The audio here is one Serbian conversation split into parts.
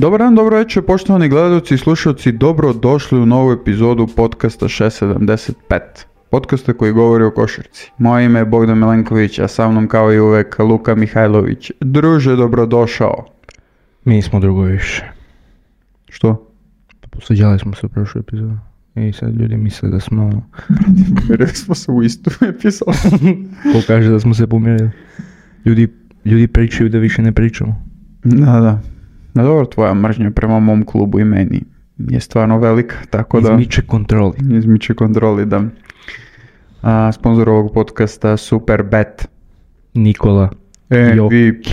Dobar dan, dobro večer, poštovani gledalci i slušalci, dobro došli u novu epizodu podcasta 675. Podcasta koji govori o košarci. Moje ime je Bogdan Milenković, a sa mnom kao i uvek Luka Mihajlović. Druže, dobrodošao. Mi smo drugo više. Što? Posveđali smo se u prošlu epizodu. I sad ljudi misle da smo... Pomirili smo se u istu epizodu. Ko kaže da smo se pomirili? Ljudi pričaju da više ne pričamo. Da. No dobro, tvoja mržnja prema mom klubu i meni je stvarno velika, tako da... Izmiče kontroli, da. Sponzor ovog podcasta Superbet. Nikola MVP.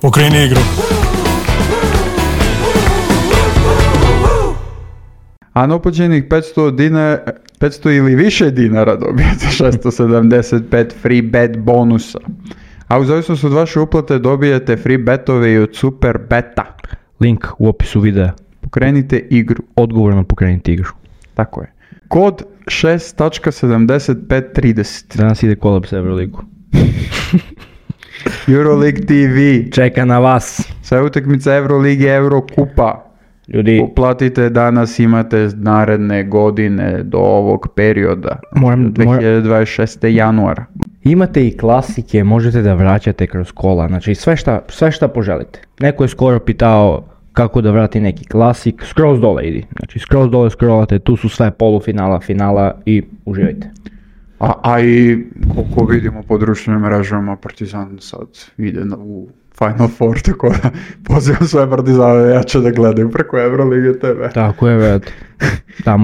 Okreni igru. A na uplaćenih 500 ili više dinara dobijete 675 free bet bonusa. A u zavisnosti od vaše uplate dobijete free betove i od Superbeta. Link u opisu videa. Pokrenite igru. Odgovorno pokrenite igru. Tako je. Kod 6.7530. Danas ide kolab sa Euroligu. Euroleague TV. Čeka na vas. Sve utakmice Eurolige, Eurokupa. Ljudi, uplatite danas, imate naredne godine do ovog perioda. 2026. januara. Imate i klasike, možete da vraćate kroz kola, znači sve šta poželite. Neko je skoro pitao kako da vrati neki klasik, skroz dole idi. Znači skroz dole scrollate, tu su sve polufinala, finala i uživajte. A i koliko vidimo po društvenim mrežama, Partizan sad ide u Final Four, tako da pozivam sve Partizane jače da gledaju preko Eurolige TV. Tako je, vrati.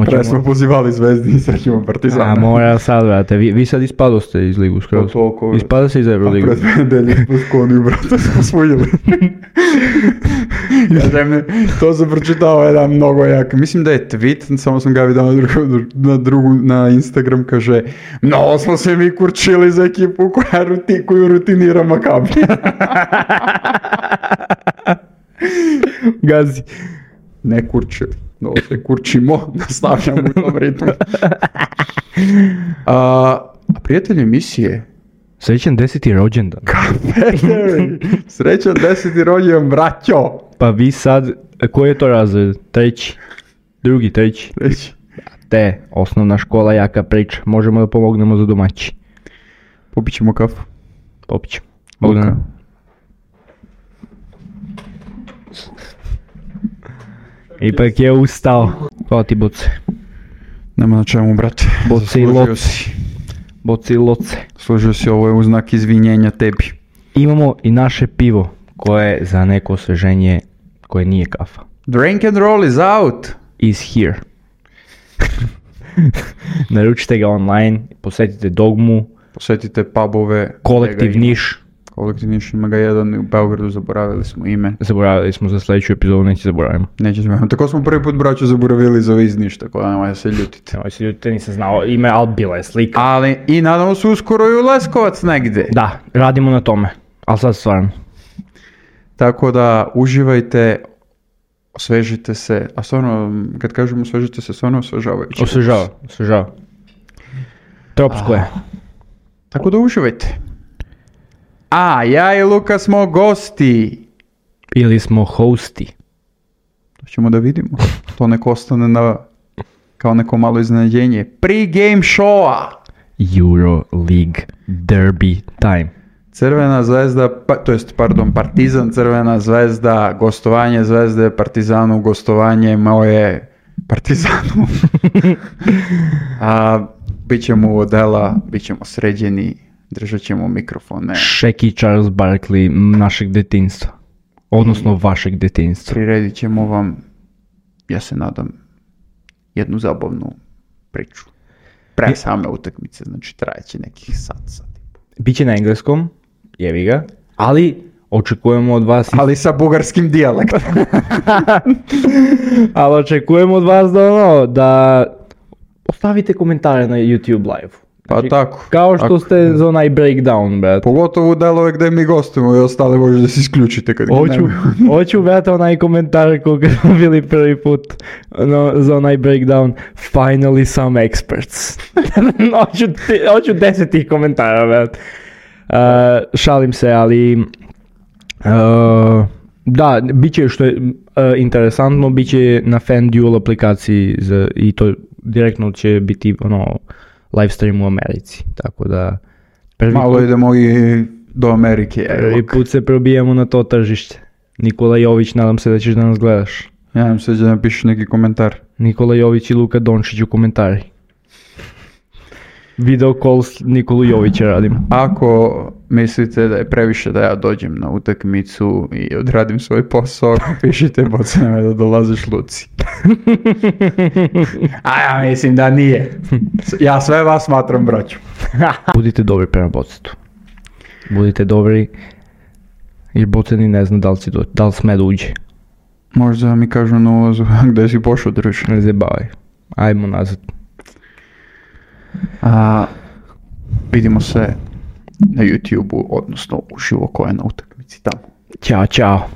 Pre smo pozivali Zvezdi i sad ćemo Partizane. A mora sad, vrati. Vi sad ispadoste iz ligu skroz. Ispada se iz Euroligu. A pred nedelje smo sklonili, brate, smo svojili. To sam pročitao jedan mnogo jak. Mislim da je tweet, samo sam ga vidio na Instagram, kaže: mnogo smo se mi kurčili za ekipu koju rutinira Makabi. Gazi. Ne kurčili. No, se kurčimo, nastavljamo u tom ritmu. A prijatelj emisije... Srećan 10. rođendan. Srećan 10. rođendan, braćo. Pa vi sad, koji je to razred? Treći? Drugi, treći? Treći. Te, osnovna škola, jaka priča. Možemo da pomognemo za domaći. Popit ćemo kafu. Popit ćemo. Bogdana. Ipak je ustao. Hvala ti, Boce. Nema na čemu, brate. Boce i loce. Služio si, ovo je u znak izvinjenja tebi. Imamo i naše pivo, koje je za neko osveženje, koje nije kafa. Drink and roll is out. Is here. Naručite ga online, posjetite Dogmu. Posjetite pubove. Kolektiv Niš. Kolektiv Niš, ima ga jedan u Beogradu, zaboravili smo ime. Zaboravili smo, za sljedeću epizodu neće zaboravimo. Neće zaboravimo. Tako smo prvi put, braću, zaboravili za iz Niš, tako da nemoj se ljutite. Nemoj se ljutite, nisam znao ime, ali bila je slika. Ali i nadamo se uskoro i u Leskovac negdje. Da, radimo na tome, ali sad stvarno. Tako da uživajte, osvežite se, a stvarno, kad kažemo osvežite se, stvarno osvežavajuće. Osvežava. Tropsko je. Tako da uživajte. A, ja i Luka smo gosti. Ili smo hosti. To ćemo da vidimo. To neko ostane kao neko malo iznenađenje. Pre-game showa. Euroleague derby time. Crvena zvezda, Partizan, Crvena zvezda, gostovanje Zvezde, Partizanu, gostovanje moje Partizanu. Bićemo u odela, bićemo sređeni. Držat ćemo mikrofone. Shaq Charles Barkley našeg detinjstva. Odnosno vašeg detinjstva. Priredit ćemo vam, ja se nadam, jednu zabavnu priču. Pre same utakmice, znači trajeće nekih sat. Biće na engleskom, jevi ga, ali očekujemo od vas... Ali sa bugarskim dijalektom. Ali očekujemo od vas da ostavite komentare na YouTube live. Znači, pa tako. Kao što ste za onaj breakdown, brat. Pogotovo u delove gde mi gostujemo i ostale možete da se isključite kad Hoću, brat, onaj komentar koga smo bili prvi put za onaj breakdown. Finally some experts. Hoću 10 tih komentara, brat. Šalim se, ali Da, bit će što je interesantno, bit će na FanDuel aplikaciji i to direktno će biti live stream u Americi, tako da... Malo idemo i do Amerike. Prvi put se probijemo na to tržište. Nikola Jović, nadam se da ćeš da nas gledaš. Nadam se da napišeš neki komentar. Nikola Jović i Luka Dončić u komentari. Video call s Nikolu Jovića radim. Ako mislite da je previše da ja dođem na utakmicu i odradim svoj posao, pišite bocename da dolaziš Luci. A ja mislim da nije. Ja sve vas smatram braćom. Budite dobri prema Bocetu. Budite dobri jer Boceni ne zna da li sme da uđe. Možda mi kažu na ulazu gde si pošao druž. Ne zabavaj. Ajmo nazad. Vidimo se na YouTube-u, odnosno uživo ko je na utakmici tamo. Ćao.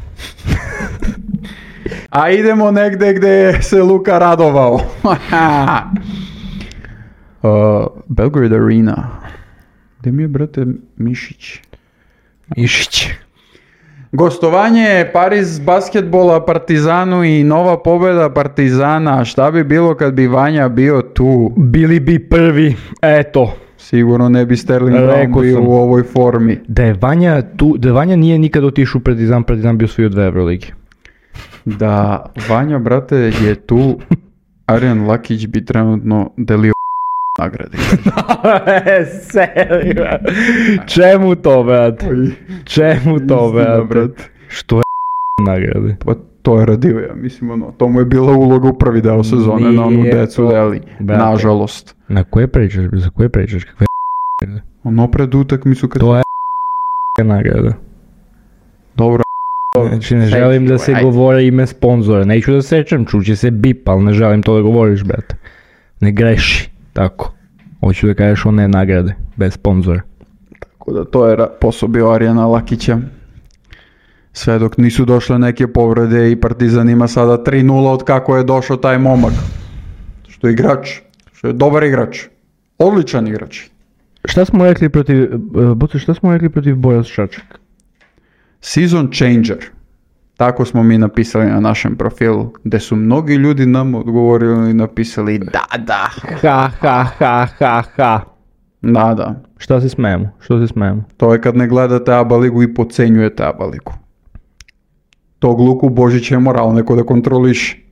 A idemo negde gde se Luka radovao. Belgrade Arena. Gde mi je, brate, Mišić? Gostovanje Pariz basketbola Partizanu i nova pobjeda Partizana. Šta bi bilo kad bi Vanja bio tu? Bili bi prvi, eto. Sigurno ne bi Sterling Brown bio u ovoj formi. Da je Vanja nije nikad otišao u Partizan bi osvojio 2 Euroligi. Da Vanja, brate, je tu, Arjan Lakić bi trenutno delio nagrade. Serio? Čemu to, brat? Čemu to, brat? Što je nagrade? Pa to je radio, ja mislim, to mu je bila uloga u prvi deo sezone na onu decu deli, nažalost. Na koje pričaš? Za koje pričaš? Kakve nagrade? Ono pred utakmicu kad... To je nagrada. Dobro. Znači ne želim da se govori ime sponzora, neću da sečem, čuće se bip, ali ne želim to da govoriš, brate. Ne greši, tako. Hoću da kažeš one nagrade, bez sponzora. Tako da to je posao bio Arjana Lakića. Sve dok nisu došle neke povrede i Partizan ima sada 3-0 od kako je došao taj momak. Što je igrač, što je dobar igrač, odličan igrač. Šta smo rekli protiv Bojas Šačak? Season changer. Tako smo mi napisali na našem profilu, gdje su mnogi ljudi nam odgovorili i napisali da. Ha. Da. Šta se smijemo? To je kad ne gledate ABA ligu i podcenjujete ABA ligu. Tog Luku Božića je moral neko da kontroliš.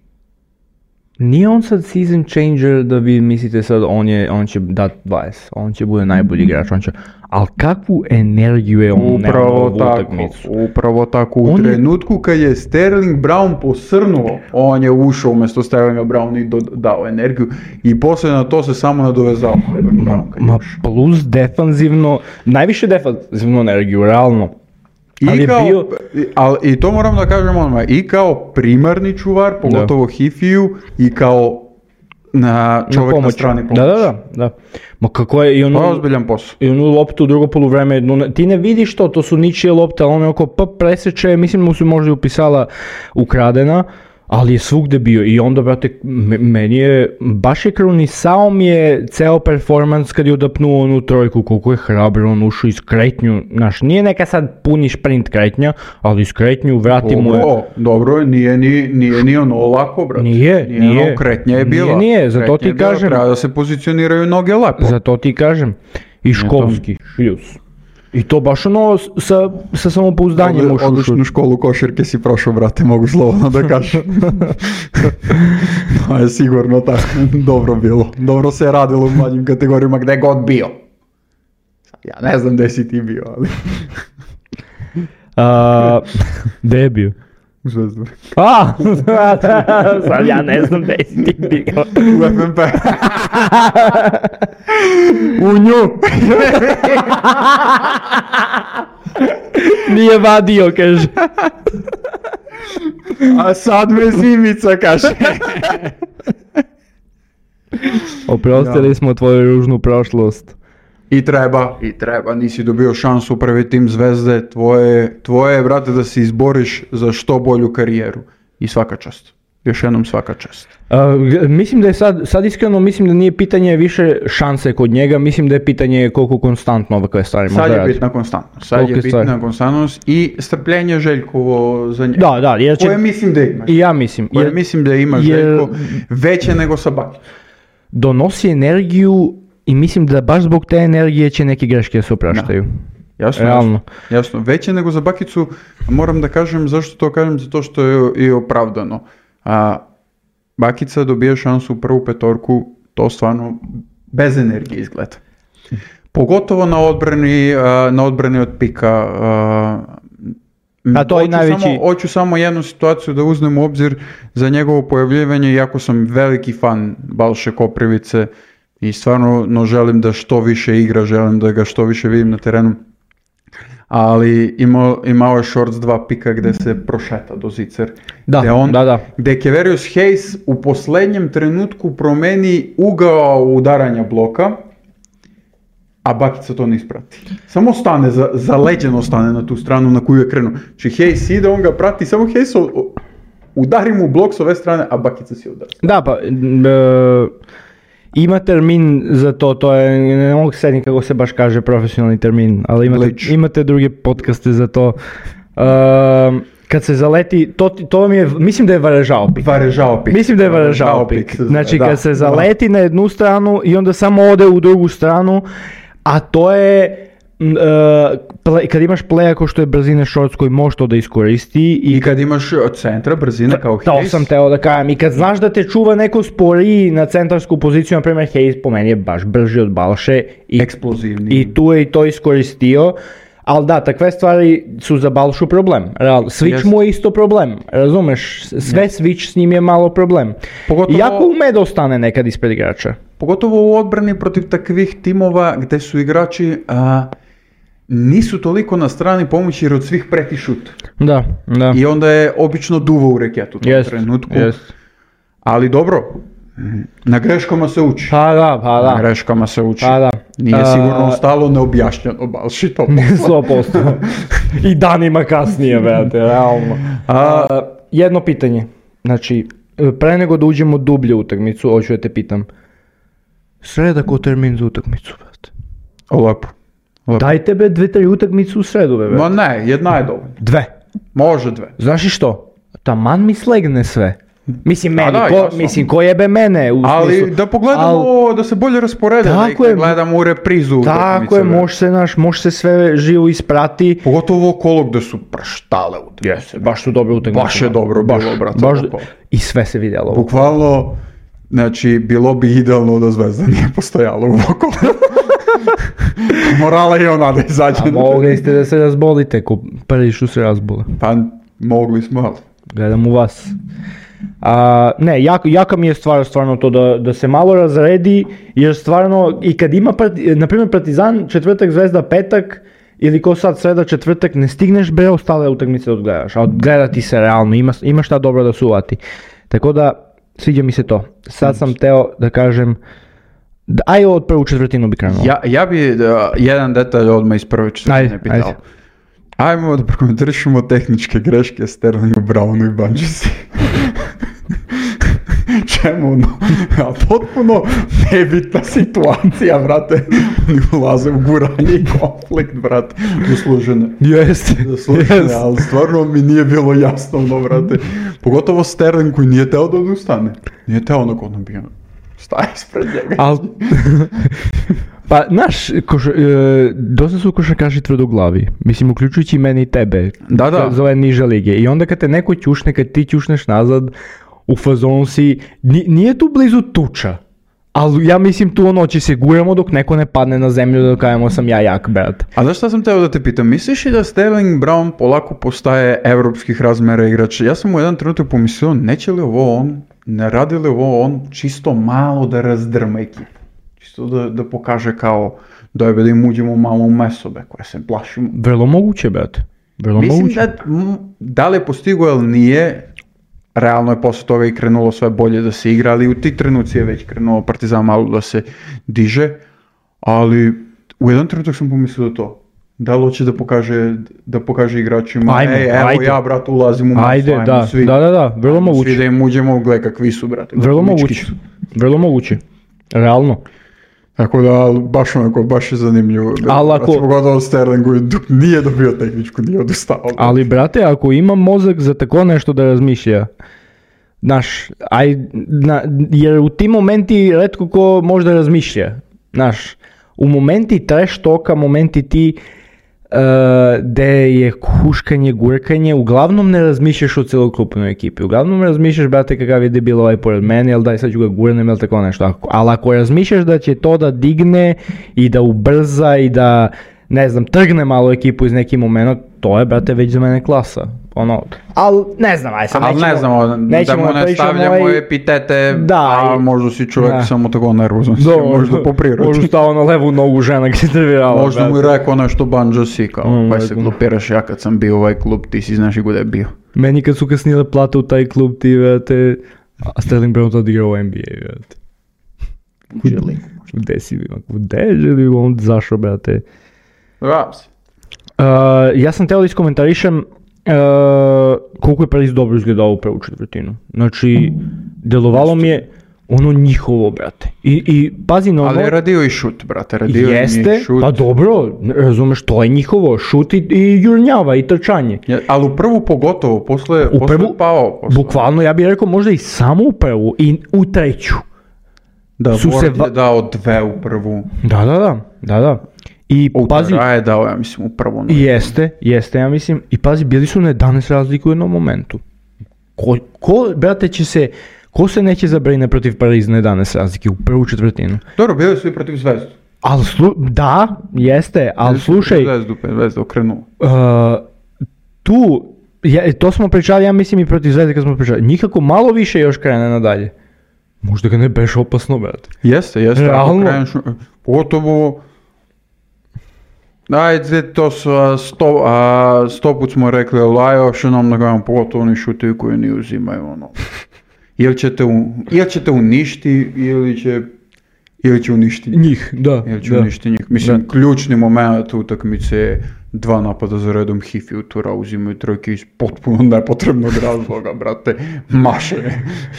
Nije on sad season changer da vi mislite sad on će dat 20, on će bude najbolji igrač, ali kakvu energiju je on upravo utakmicu. Upravo tako, u trenutku kad je Sterling Brown posrnuo, on je ušao umjesto Sterlinga Brown i dao energiju i poslije na to se samo nadovezao. Plus defanzivno, najviše defanzivnu energiju, realno. I to moram da kažem odmah, i kao primarni čuvar, pogotovo Hifiju, i kao čovjek na strani pomoći. Da. Ma kako je i to je ozbiljan posao. I onu loptu u drugo poluvreme, ti ne vidiš to su ničije lopte, ali on je oko preseče, mislim mu se možda upisala ukradena, ali je svugde bio i onda, brate, meni je, baš je krunisao mi je ceo performans kad je udapnuo onu trojku, koliko je hrabro on ušao iz kretnju, znaš, nije neka sad puni šprint kretnja, ali iz kretnju vrati mu je... Dobro, nije ni ono lako, brate. Nije. Kretnja je bila. Nije, zato ti kažem. Treba da se pozicioniraju noge lepo. Zato ti kažem. I školski, šljus. I to baš ono sa samopouzdanjem ušao. Odličnu školu košarke si prošao, brate, mogu slobodno da kažem. To je sigurno tako dobro bilo. Dobro se je radilo u mlađim kategorijama gde god bio. Ja ne znam gde si ti bio, ali... Gde je bio? U Zvezdari. Sad ja ne znam gde si ti bio. U FNP. U nju. Nije vadio, kaže. A sad me zimica, kaže. Oprostili smo tvoju ružnu prošlost. I treba, nisi dobio šansu prvi tim Zvezde, tvoje je, brate, da se izboriš za što bolju karijeru. I svaka čast. još jednom svaka čast. Mislim da je sad iskreno mislim da nije pitanje više šanse kod njega, mislim da je pitanje koliko konstantno ovakve stvari može raditi. Sad je bitna konstantnost, sad je bitna konstantnost i strpljenje Željkovo za njega. Da, jer će... Koje mislim da imaš. I ja mislim. Mislim da ima Željko veće nego sa Bakicom. Donosi energiju i mislim da baš zbog te energije će neke greške se opraštaju. Jasno. Veće nego za Bakicu, moram da kažem, zašto to kažem, zato što je i opravdano. Bakica dobije šansu u prvu petorku, to stvarno bez energije izgleda. Pogotovo na odbrani od pika. Hoću samo jednu situaciju da uzmem u obzir za njegovo pojavljivanje, iako sam veliki fan Balše Koprivice i stvarno želim da što više igra, želim da ga što više vidim na terenu. Ali imao je shorts 2 pika gdje se prošeta do zicer. Gdje Kevarius Hayes u posljednjem trenutku promeni ugao udaranja bloka, a Bakica to ne isprati. Samo stane, zaleđeno stane na tu stranu na koju je krenuo. Znači Hayes ide, on ga prati, samo Hayes udari mu blok s ove strane, a Bakica si udara. Da, pa... Ima termin za to je, ne mogu sediti kako se baš kaže profesionalni termin, ali imate druge podcaste za to. Kad se zaleti, to mi je, mislim da je varežao pik. Mislim da je varežao pik. Znači kad se zaleti na jednu stranu i onda samo ode u drugu stranu, a to je... kad imaš playa ko što je brzine shorts koji može to da iskoristi i kad imaš od centra brzine kao Hayes. To sam teo da kažem, i kad znaš da te čuva neko sporiji na centarsku poziciju, na primjer Hayes po meni je baš brži od Balše i eksplozivni i tu je i to iskoristio. Ali da, takve stvari su za Balšu problem. Switch mu je isto problem, razumeš? Sve switch s njim je malo problem. Iako ume da ostane nekad ispred igrača. Pogotovo u odbrani protiv takvih timova gdje su igrači nisu toliko na strani pomoći jer od svih preti šut. Da. I onda je obično duvo u reketu u tom trenutku. Ali dobro, na greškama se uči. Pa da. Na greškama se uči. Nije sigurno ostalo neobjašnjeno Balši to 100%. I danima kasnije, brate, realno. Jedno pitanje. Znači, pre nego da uđemo dublje u utakmicu, hoću da te pitam. Sreda ko termin za utakmicu, brate? Lepo. Dajte be 2-3 utakmicu u sredu, brate. Ma ne, jedna je dovoljna. 2. Može 2. Znaš i što? Taman mi slegne sve. Mislim, ko jebe mene? Ali da pogledamo, da se bolje rasporede, da ih ne gledamo u reprizu. Tako je, može se sve živo isprati. Pogotovo okolo gde su praštale utakmice. Baš su dobre utakmice. Baš je dobro bilo, brate. I sve se vidjelo. Bukvalno, znači, bilo bi idealno da Zvezda nije postojala u okolo. Morala i ona da izađe. A mogli ste da se razbolite, ko prvi što se razbole. Pa, mogli smo, ali. Gledam u vas. Ne, jaka mi je stvarno to da se malo razredi, jer stvarno, i kad ima, na primjer, Partizan, četvrtak, Zvezda, petak, ili ko sad sreda, četvrtak, ne stigneš bre ostale utakmice da odgledaš, a odgledati se realno, ima šta dobro da se uvati. Tako da, sviđa mi se to. Sad sam teo da kažem, aj od prvu četvrtinu bi krenuo. Ja bi jedan detalj odmah iz prve četvrtine pitao. Ajmo da prokomentarišemo tehničke greške Sterlingu, Brownu i Banđisi. Čemu? Potpuno nebitna situacija, brate. Oni ulaze u guranje i konflikt, brate. Zaslužene. Jeste. Ali stvarno mi nije bilo jasno, brate. Pogotovo Sterling koji nije teo da ustane. Nije teo onako bio. Staje ispred njega. Pa, znaš, dosta su košarkaši tvrdoglavi. Mislim, uključujući mene i tebe. Da. Za ove niže lige. I onda kad te neko ćušne, kad ti ćušneš nazad, u fazonu si, nije tu blizu tuča. Ali ja mislim tu će se guramo dok neko ne padne na zemlju da kajemo sam ja jak, brat. A znaš šta sam teo da te pitam? Misliš li da Sterling Brown polako postaje evropskih razmera igrač? Ja sam u jedan trenutak pomislio, neće li ovo on, ne radi li ovo on čisto malo da razdrma ekipu? Čisto da pokaže kao da im uđemo malo u mesobe koje se plašimo. Vrlo moguće, brat. Mislim da li je postigo ili nije, realno je posle toga i krenulo sve bolje da se igra, ali u tih trenuci je već krenuo Partizan malo da se diže, ali u jedan trenutak sam pomislio to. Da li hoće da pokaže igračima, Ajde. ja, brat, ulazim u masu, Ajde, da, svi. da, vrlo moguće. Svi da im uđemo, gle kakvi su, brate. Vrlo moguće, realno. Tako da, baš je zanimljivo. Ali ako... Pogotovo Sterlingu nije dobio tehničku, nije odustao. Ali, brate, ako ima mozak za tako nešto da razmišlja, znaš, jer u tim momenti retko ko možda razmišlja, znaš, u momenti trash talka, momenti ti gde je huškanje, gurkanje, uglavnom ne razmišljaš o celokupnoj ekipi, uglavnom razmišljaš, brate, kakav je debil ovaj pored mene, jel daj sad ću ga gurnem, jel tako nešto, ali ako razmišljaš da će to da digne i da ubrza i da, ne znam, trgne malo ekipu iz neki moment, to je, brate, već za mene klasa. Ali ne znam, aj sad nećemo da mu ne stavljamo epitete, a možda si čovjek samo tako nervozan, možda po prirodi. Možda stao na levu nogu žena gdje trevirala. Možda mu je rekao nešto banđo si, kao, pa se glupiraš, ja kad sam bio u ovaj klub, ti si znaš i gdje je bio. Meni kad su kasnile plate u taj klub, ti, vrate, a Sterling Brown to odigrao u NBA, vrate. Gdje si bio? Gdje želi on zašao, brate? Ja sam teo da iskomentarišem koliko je Paris dobro izgledao u prvu četvrtinu. Znači, delovalo mi je ono njihovo, brate. I pazi na ono... Ali je radio i šut, brate. Jeste, pa dobro, razumeš, to je njihovo. Šut i jurnjava i trčanje. Ali u prvu pogotovo, posle pao. Bukvalno, ja bih rekao možda i samo u prvu i u treću. Da, Ward je dao 2 u prvu. Da. I pazi, je dao, ja mislim, upravo. Jeste, ja mislim. I pazi, bili su na 11 razliku u jednom momentu. Brate, ko se neće zabrine protiv Pariza na 11 razlike u prvu četvrtinu? Dobro, bili su i protiv Zvezdu. Da, jeste, ali slušaj... Zvezdu okrenuo. To smo pričali, ja mislim, i protiv Zvezde kad smo pričali. Nikako malo više još krene nadalje. Možda ga ne beš opasno, brate. Jeste. Realno. Ako kreneš, pogotovo... Ajde, to su 100 put smo rekli, ali još nam nagajamo, pogotovo oni šutevi koji ni uzimaju, ono. Ili ćete uništiti, ili će uništiti njih. Uništiti njih. Mislim, ključni moment utakmice je 2 napada za redom, Hifi i Tura uzimaju trojke iz potpuno nepotrebnog razloga, brate, maše.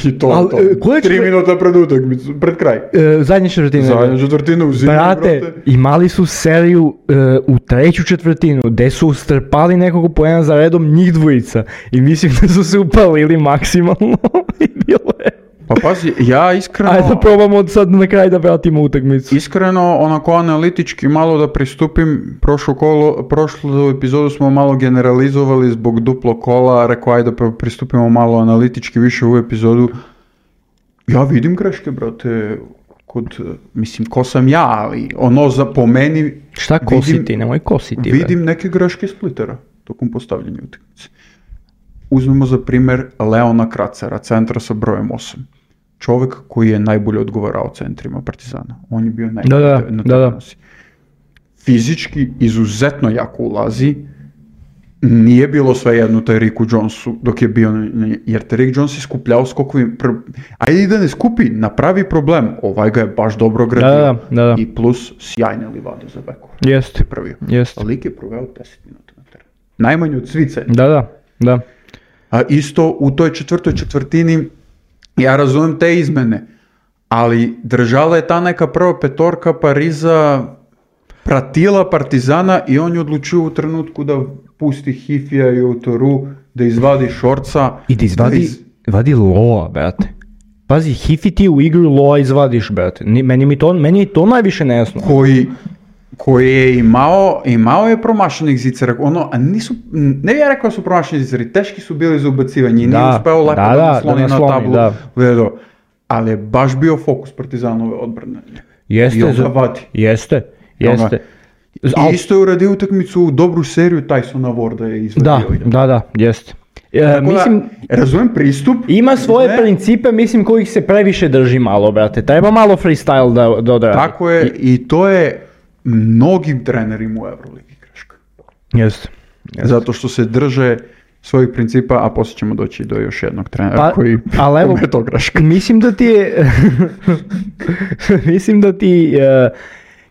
I to. 3 minuta pred utakmicu, pred kraj. Zadnje četvrtine uzimaju, brate. Imali su seriju u treću četvrtinu, gde su strpali nekog poena za redom njih dvojica. I mislim da su se upalili maksimalno i bilo je. Pa pazi, ja iskreno... Ajde da probamo sad na kraj da vratimo utakmicu. Iskreno, onako analitički malo da pristupim, prošlu epizodu smo malo generalizovali zbog duplo kola, rekao ajde da pristupimo malo analitički više u epizodu. Ja vidim greške, brate, ko sam ja, ali po meni... Šta kositi, nemoj kositi. Vidim neke greške Splittera tokom postavljanja utakmice. Uzmemo za primjer Leona Kracera, centra sa brojem 8. Čovjek koji je najbolje odgovarao centrima Partizana. On je bio najbolje na terenosi. Fizički izuzetno jako ulazi. Nije bilo svejedno Tyreeku Jonesu dok je bio, jer Tyreek Jones je skupljao skokovi. Ajde i da ne skupi, napravi problem. Ovaj ga je baš dobro gradio. Da. I plus sjajne livade za beku. Jeste. Lik je proveo 10 minuta na terenu. Najmanje od svice. Da. A isto u toj četvrtoj četvrtini, ja razumijem te izmene, ali držala je ta neka prva petorka Pariza, pratila Partizana i on je odlučio u trenutku da pusti Hifija i Autoru, da izvadi Šorca. I da izvadi Loa, brate. Pazi, Hifi ti u igru Loa izvadiš, brate. Meni je to najviše nejasno. Koji je imao je promašenih zicera, ne bih ja rekao da su promašeni ziceri, teški su bili za ubacivanje i nije uspeo lepo da nasloni na tablu, ali je baš bio fokus Partizanove odbrane. Jeste. I isto je uradio utakmicu, dobru seriju Tysona Warda je izvadio. Da, jeste. Mislim, razumem pristup. Ima svoje principe, mislim, kojih se previše drži malo, brate. Treba malo freestyle da odradi. Tako je, i to je mnogim trenerima u Euroligi greška. Jeste. Zato što se drže svojih principa, a poslije ćemo doći do još jednog trenera koji je to greška. Mislim da ti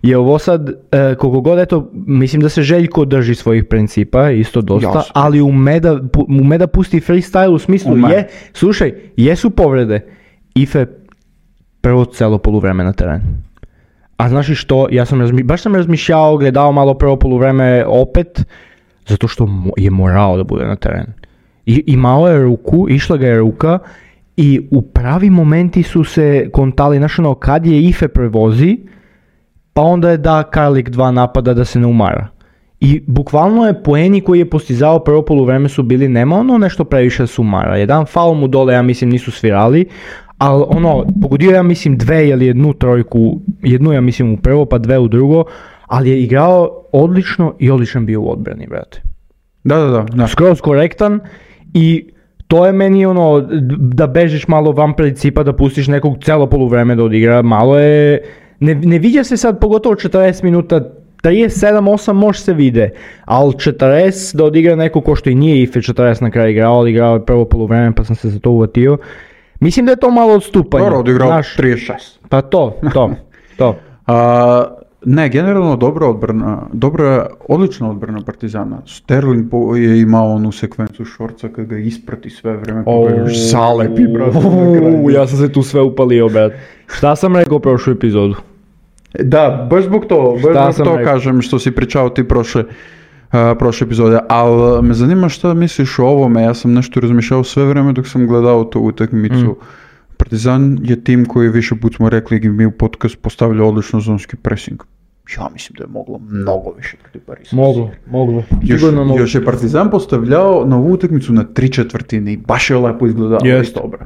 je ovo sad, koliko god eto, mislim da se Željko drži svojih principa, isto dosta, Jasno. ali ume da pusti freestyle u smislu, slušaj, jesu povrede, Ife prvo celo poluvreme na terenu. A znaš i što, baš sam razmišljao, gledao malo prvo poluvreme opet, zato što je morao da bude na terenu. I imao je ruku, išla ga je ruka i u pravi momenti su se kontali, znaš ono, kad je Ife prevozi, pa onda je da Karlik 2 napada da se ne umara. I bukvalno je poeni koji je postizao prvo poluvreme su bili, nema ono nešto previše da se umara. Jedan faul mu dole, ja mislim, nisu svirali, ali ono, pogodio ja mislim 2 ili 1 trojku, jednu ja mislim u prvo pa 2 u drugo, ali je igrao odlično i odličan bio u odbrani, brate. Da. Skroz korektan i to je meni ono, da bežiš malo van principa, da pustiš nekog celo poluvreme da odigra, malo je, ne viđa se sad pogotovo 40 minuta, 37-8 može se vide, ali 40 da odigra neko ko što i nije Ife 40 na kraju igrao, ali igrao je prvo poluvreme pa sam se za to uvatio. Mislim da je to malo odstupanje. Dobro, odigrao 36. Pa to. Ne, generalno odlična odbrana Partizana. Sterling je imao onu sekvencu šorca kad ga isprati sve vreme, pa ga još zalepi, brate. Ja sam se tu sve upalio, brat. Šta sam rekao prošlu epizodu? Da, baš zbog to kažem što si pričao ti prošle epizode, ali me zanima šta misliš o ovome, ja sam nešto razmišljao sve vreme dok sam gledao tu utakmicu. Partizan je tim koji više put smo rekli i mi u podcast postavlja odlično zonski pressing. Ja mislim da je moglo mnogo više protiv Parisa. Moglo. Još je Partizan postavljao na ovu utakmicu na 3/4 i baš je lepo izgledao.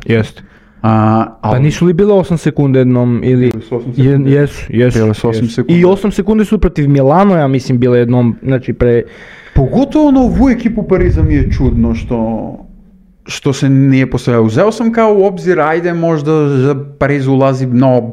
Jest. Pa nisu li bilo 8 sekunde jednom ili... Jesu. I 8 sekunde su protiv Milano, ja mislim, bile jednom, znači Pogotovo na ovu ekipu Pariza mi je čudno što se nije postavljao. Uzeo sam kao u obzir, ajde možda Pariz ulazi mnogo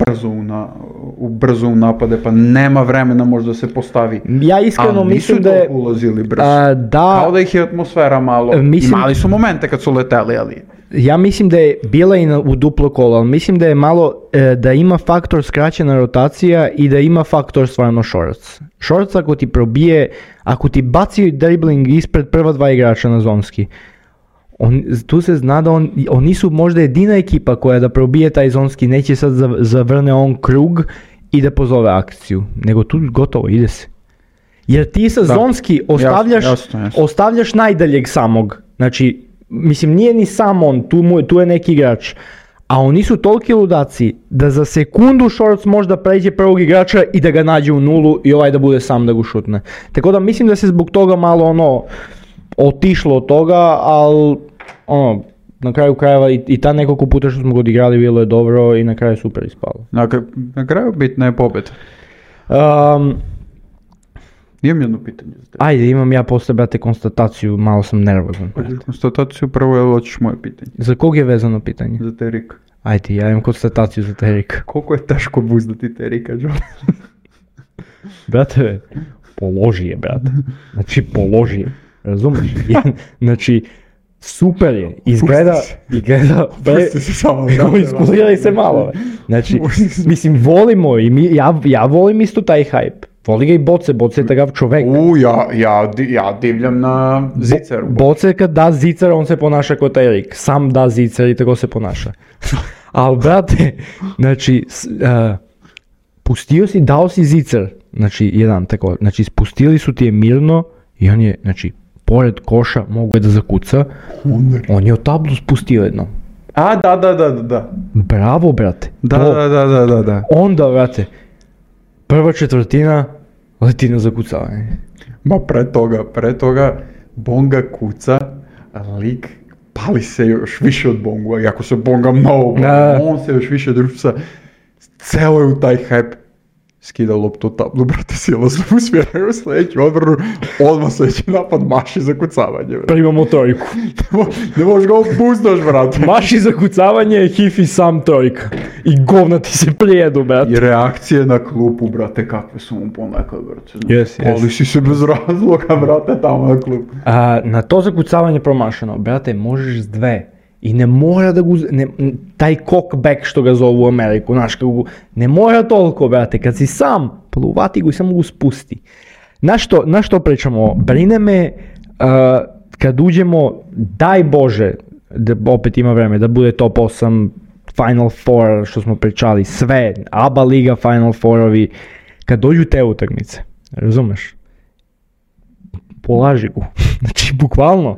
brzo u napade, pa nema vremena možda se postavi. Ja iskreno mislim da je... ulazili brzo. Kao da ih je atmosfera malo... Imali su momente kad su leteli, ali... Ja mislim da je bila i u duplo kolo, ali mislim da je malo, da ima faktor skraćena rotacija i da ima faktor stvarno šorac. Šorac ako ti probije, ako ti baci dribling ispred prva 2 igrača na zonski, tu se zna da oni su možda jedina ekipa koja da probije taj zonski, neće sad zavrne on krug i da pozove akciju, nego tu gotovo, ide se. Jer ti sa zonski ostavljaš najdaljeg samog, znači, mislim nije ni sam on, tu je neki igrač, a oni su toliki ludaci da za sekundu Shorts možda pređe prvog igrača i da ga nađe u nulu i ovaj da bude sam da ga šutne. Tako da mislim da se zbog toga malo otišlo od toga, ali na kraju krajeva i ta nekoliko puta što smo ga odigrali bilo je dobro i na kraju je super ispalo. Na kraju bitna je pobjeda. Imam jedno pitanje za tebe. Ajde, imam ja posle, brate, konstataciju, malo sam nervozan. Konstataciju prvo je hoćeš moje pitanje. Za kog je vezano pitanje? Za Terika. Ajde, ja imam konstataciju za Terika. Koliko je teško buzdati Terika, John? Brate, položi je, brate. Znači, položi je. Razumiješ? Znači, super je. Izgleda... Pusti se samo. Iskuliraj se malo. Znači, mislim, volimo i ja volim isto taj hype. Voli ga i Boce je takav čovek. Ja divljam na Zicaru. Boce kad da Zicar, on se ponaša kao Terik. Sam da Zicar i tako se ponaša. Ali, brate, znači, pustio si, dao si Zicar. Znači, jedan tako, znači, spustili su ti je mirno i on je, znači, pored koša mogu je da zakuca. On je od tablu spustio jedno. Da. Bravo, brate. Da. Onda, brate, prva četvrtina leti na zakucavanje. Ma pre toga Bonga kuca, lik pali se još više od Bonga, iako se Bonga mnogo, on se još više društva, celo je u taj hype, skida loptu tablu, brate, silo se usmjeraju sljedeću odbranu, odmah sljedeći napad, maši za kucavanje. Primamo trojku. Ne možeš ga opuzdaš, brate. Maši za kucavanje, Hifi sam trojka. I govna ti se prijedu, brate. I reakcije na klupu, brate, kakve su mu ponekad, brate. Yes. Ali si se bez razloga, brate, tamo na klupu. Na to zakucavanje promašeno, brate, možeš s 2. I ne mora da taj cockback što ga zovu u Ameriku, znaš, ne mora toliko, brate, kad si sam, uvati go i samo go spusti. Na što pričamo? Brine me kad uđemo, daj Bože, da opet ima vreme, da bude top 8, Final Four, što smo pričali, sve, ABA liga, Final Four-ovi, kad dođu te utakmice, razumeš? Polaži go, znači bukvalno,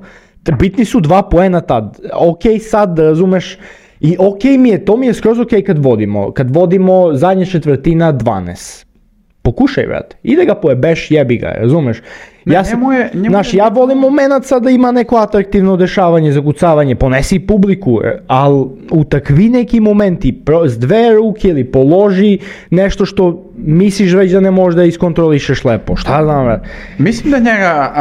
bitni su 2 poena tad, ok sad, razumeš, i ok to mi je skroz ok kad vodimo zadnja četvrtina 12. Pokušaj, brate, ide ga pojebeš, jebi ga, razumeš? Ja volim momenat sad da ima neko atraktivno dešavanje, zakucavanje, ponesi publiku, ali u takvi neki momenti, s 2 ruke ili položi nešto što misliš već da ne možeš da iskontrolišeš lepo, šta znam, brate? Mislim da njega,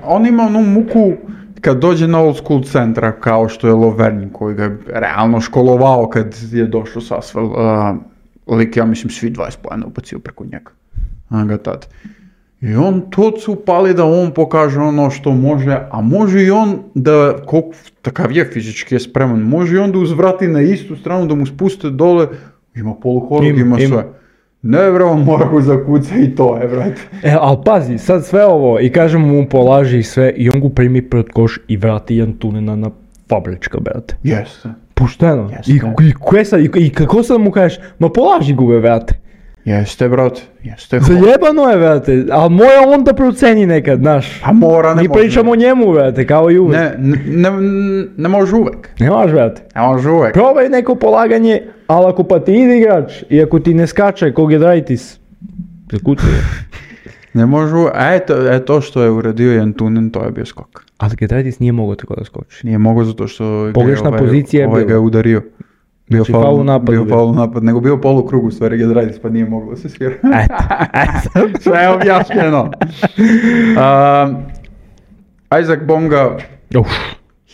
on ima onu muku kad dođe na old school centra, kao što je Lovern, koji ga je realno školovao kad je došao s Asvel, lik, ja mislim, svi 20 pojena ubacio preko njega. Ga tad. I on tot se upali da on pokaže ono što može, a može i on da, koliko takav je fizički je spreman, može i on da uzvrati na istu stranu, da mu spuste dole, ima poluhorog, ima sve. Ne bre, on mora go zakuca i to je, brate. Ali pazi, sad sve ovo, i kažem mu polaži i sve, i on go primi pred koš i vrati jedan tunena na fabrička, brate. Jeste. Pošteno. Jeste. I kako sad mu kažeš, ma polaži go, brate. Jeste, brate, jeste. Zajebano je, brate, ali mora on da proceni nekad, znaš. A mora, ne može. Mi pričamo o njemu, brate, kao i uvek. Ne može uvek. Ne može, brate. Ne može uvek. Probaj neko polaganje, ali ako pa ti ide igrač i ako ti ne skače kog je Draitis, zakucuje. Ne može uvek. To što je uradio Jan Tunen, to je bio skok. Ali Gedraitis nije mogao tako da skoči. Nije mogao zato što pogrešna pozicija je bila. Ga je udario. Bio znači, faul napad, nego bio polukrug u stvari Gedraitis, pa nije moglo se svira. Eto. Sve je objašnjeno. Isaac Bonga,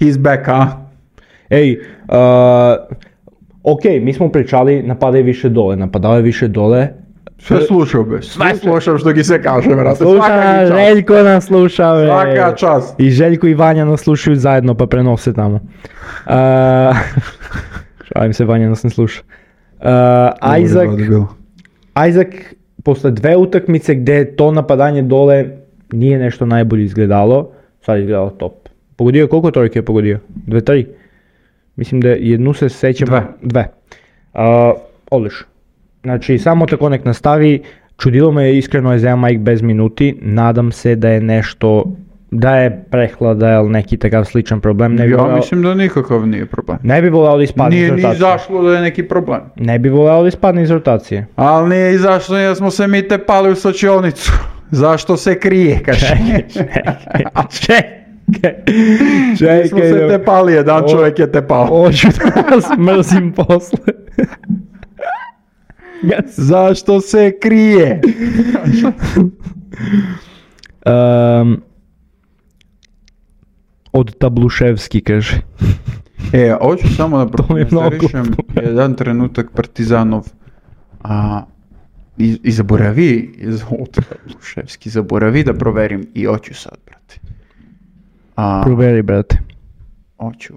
he's back, a? Ej, ok, mi smo pričali, napadaju više dole. Sve slušao be, sve slušao što gi se kaže, vrate. Sluša, Željko nas sluša, bre. Svaka čast. I Željko i Vanja nas slušaju zajedno, pa prenose tamo. Šalim se, Vanja nas ne sluša. Isaac, posle 2 utakmice gde to napadanje dole nije nešto najbolje izgledalo, sad je izgledalo top. Pogodio je, koliko trojke je pogodio? 2-3? Mislim da jednu se sećam. 2. Odlično. Znači, samo tako nek nastavi. Čudilo me iskreno je za Mike bez minuti. Nadam se da je nešto, da je prehlada ili neki takav sličan problem. Mislim da nikakav nije problem. Ne bi voleo da ispadne iz rotacije. Nije ni izašlo da je neki problem. Ne bi voleo da ispadne iz rotacije. Ali nije izašlo jer smo se mi tepali u slačionicu. Zašto se krije, kaže? Čekaj. Mi smo se tepali, jedan čovjek je tepao. Hoću da vas mrzim posle. Zašto se krije? Od Tabluševski, kaže. Hoću samo da prokomentarišem jedan trenutak Partizanov i zaboravi od Tabluševski, zaboravi da proverim i hoću sad, brate. Proveri, brate. Hoću,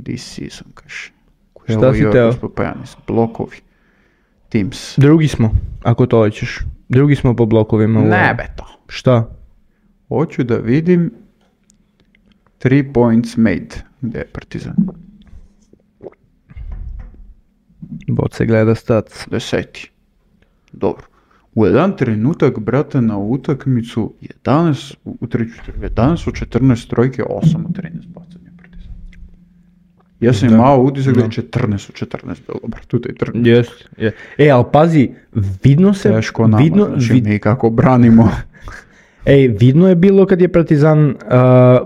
this season, kaže. Šta si teo? Blokovi. Teams. Drugi smo, ako to hoćeš. Drugi smo po blokovima. Ne be to. Šta? Hoću da vidim 3 points made. Gde je Partizan? Bot se gleda stats. 10. Dobro. U jedan trenutak, brate, na utakmicu 11 u 14 trojke, 8 u 13 bacanja Partizan. Ja sam imao utisak da je 14 u 14 bilo, brate, u tej trnici. Jest. Ali pazi, vidno se... Teško nama, znači mi kako branimo. Vidno je bilo kad je Partizan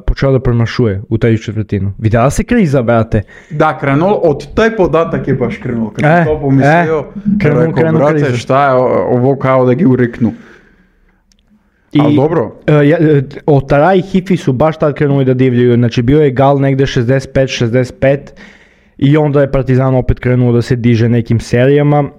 počeo da promašuje u taj četvrtinu. Videla se kriza, brate. Da, krenulo, od taj podatak je baš krenulo. Kad sam to pomislio, rekao, brate, kriza. Šta je ovo kao da gi uriknu. Ali dobro. Otara i Hifi su baš tad krenuli da divljaju. Znači bio je gal negde 65 i onda je Partizan opet krenuo da se diže nekim serijama.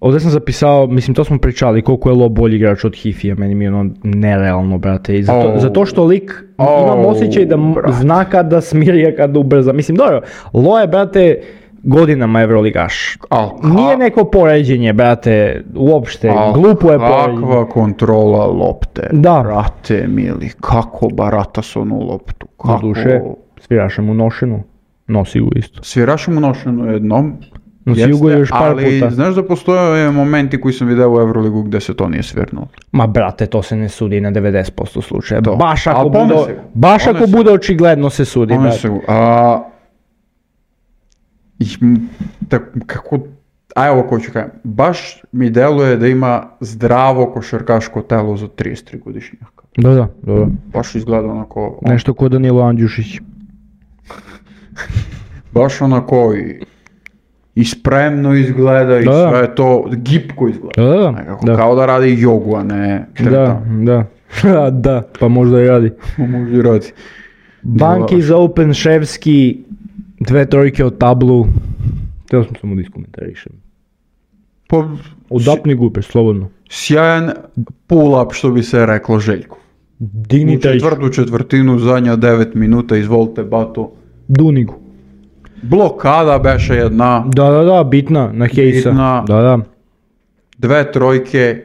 Ovdje sam zapisao, mislim to smo pričali, koliko je Lo bolji igrač od Hifija, meni mi je ono nerealno, brate. I zato što lik, imam osjećaj da zna kada smiri, a kada ubrza. Mislim, dobro, Lo je, brate, godinama Evroligaš. Nije neko poređenje, brate, uopšte, glupo je poređenje. Kakva kontrola lopte, da. Brate mili, kako barata s onu loptu. Na duše, sviraša mu nošenu, nosi ju isto. Sviraša mu nošenu jednom, nosi ju još par ali puta. Znaš da postoje momenti koji sam vidio u Euroligu gdje se to nije svirnulo. Ma brate, to se ne sudi na 90% slučaja. To. Baš ako bude očigledno se sudi, brate. Kako, evo ko ću kajem, baš mi deluje da ima zdravo košarkaško telo za 33 godišnjaka. Da. Baš izgleda onako... Nešto ko Danilo Andjušić. Baš onako i spremno izgleda i sve to, gipko izgleda. Da. Kao da radi jogu, a ne treta. Da, pa možda i radi. Možda i radi. Banki za Open Ševski, 2 trojke od tablu. Teo sam samo da iskomentarišem. Odapni gupeš, slobodno. Sjajan pull-up, što bi se reklo Željko. Digni u četvrtu četvrtinu, zadnja 9 minuta, izvolite bato. Dunigu. Blokada beše jedna. Da, bitna, na Hejsa. Da. 2 trojke,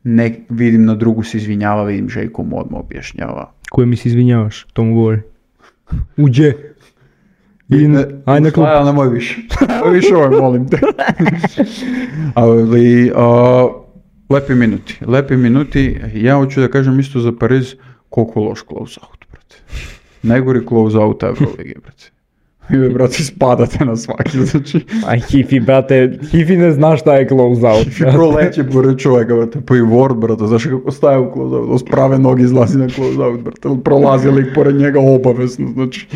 ne vidim na drugu se izvinjava, vidim Željko mu odmah objašnjava. Koje mi se izvinjavaš, to mu govori. Uđe. Aj na klub. Nemoj više. Više ovaj, molim te. Ali, lepi minuti. Ja hoću da kažem isto za Pariz, koliko loš close-out, brate. Najgori close-out Euroligi, brate. Vi, brate, spadate na svaki, znači. Aj, Hifi, brate, Hifi ne zna šta je close-out. Hifi proleće pored čovjeka, brate, pa i Ward, brate, znaš kako staje u close-out, s prave noge izlazi na close-out, brate, prolazi lik pored njega obavezno, znači.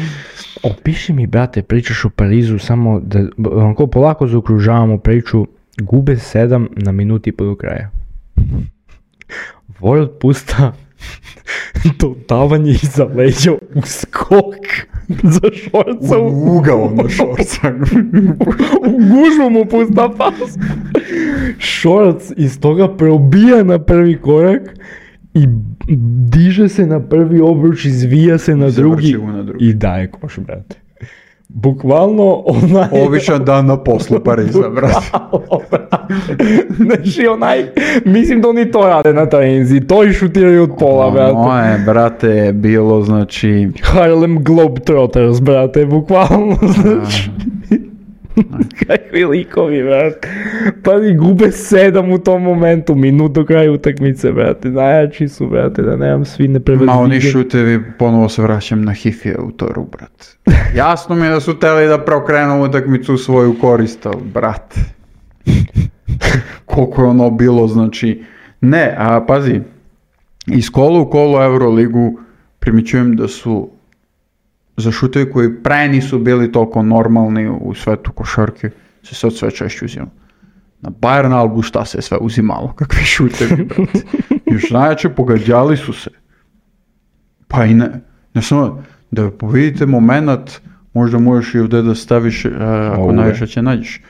Opiši mi, brate, pričaš o Parizu, samo da onako polako zaokružavamo priču, gube 7 na minuti do kraja. Ward pusta dodavanje iza leđa u skok za Šorca. U ugao na Šorca. U gužu mu pusta pas. Šorc iz toga probija na prvi korak i diže se na prvi obruč, izvija se na drugi i daje koš, brate. Bukvalno onaj... Običan dan na poslu Pariza, brate. Znači mislim da oni to rade na treninzi, to i šutiraju od pola, brate. Moje, brate, bilo, znači... Harlem Globetrotters, brate, bukvalno, znači... Kakvi likovi, brate. Pazi, gube 7 u tom momentu, minut do kraja utakmice, brate. Najjači su, brate, da nemam svi neprevedljive. Ma oni šutevi, ponovo se vraćam na Hifija u toru, brate. Jasno mi je da su teli da preokrenu utakmicu u svoju korist, ali, brate. Koliko je ono bilo, znači... Ne, a pazi, iz kola u kolo Euroligu primjećujem da su za šutevi koji pre nisu bili toliko normalni u svetu košarke, se sad sve češće uzimalo. Na Bayern Albu šta se sve uzimalo, kakvi šutevi, brate. Još najjače pogađali su se. Pa i ne samo, da vidite moment, možda možeš i ovdje da staviš, ako najviše će nađeš.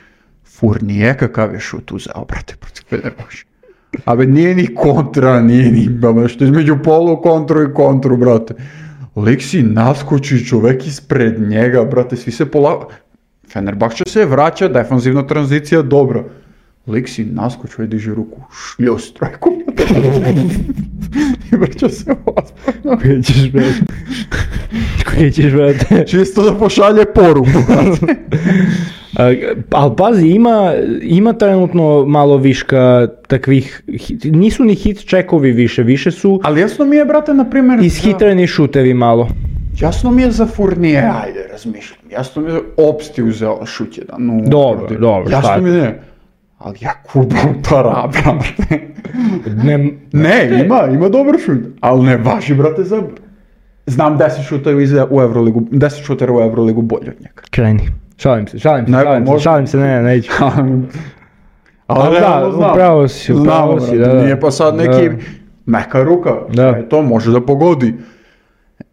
Fournier kakav je šut uzeo, brate, protiv ne može. A nije ni kontra, nije ni, što između polu kontru i kontru, brate. Lik si naskoči čovek ispred njega, brate, svi se Fenerbahče se vraća, defanzivna tranzicija, dobro. Lik si naskoči, diže ruku, šljos trojku. I vraća se ospavno. Koje ćeš, brate? Čisto da pošalje poruku, brate. Ali pazi, ima trenutno malo viška takvih, nisu ni hit čekovi više su... Ali jasno mi je, brate, na primjer... Ishitreni šutevi malo. Jasno mi je za Fournier, ajde, razmišljam. Jasno mi je da Opsti uzela šut jedan. Dobro. Jasno mi je, ali ja kubam tara, brate. Ne, ima dobar šut, ali ne važi, brate, za... Znam 10 šutera u Euroligu bolje od njega. Kreni. Šalim se, neću. Ali da, upravo si, da. Nije pa sad neki meka ruka, to može da pogodi.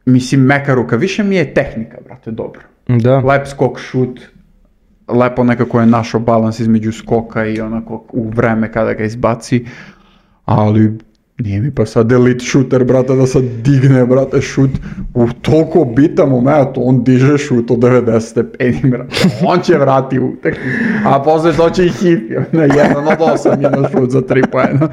Mislim, meka ruka, više mi je tehnika, brate, dobro. Da. Lep skok, šut, lepo nekako je našao balans između skoka i onako u vreme kada ga izbaci, ali nije mi pa sad elite shooter, brate, da sad digne, brate, šut u toliko bitan moment, on diže šut od 90 stepeni, brate, on će vrati utek, a posle to će i hipi, na 1 od 8 je na šut za 3 poena.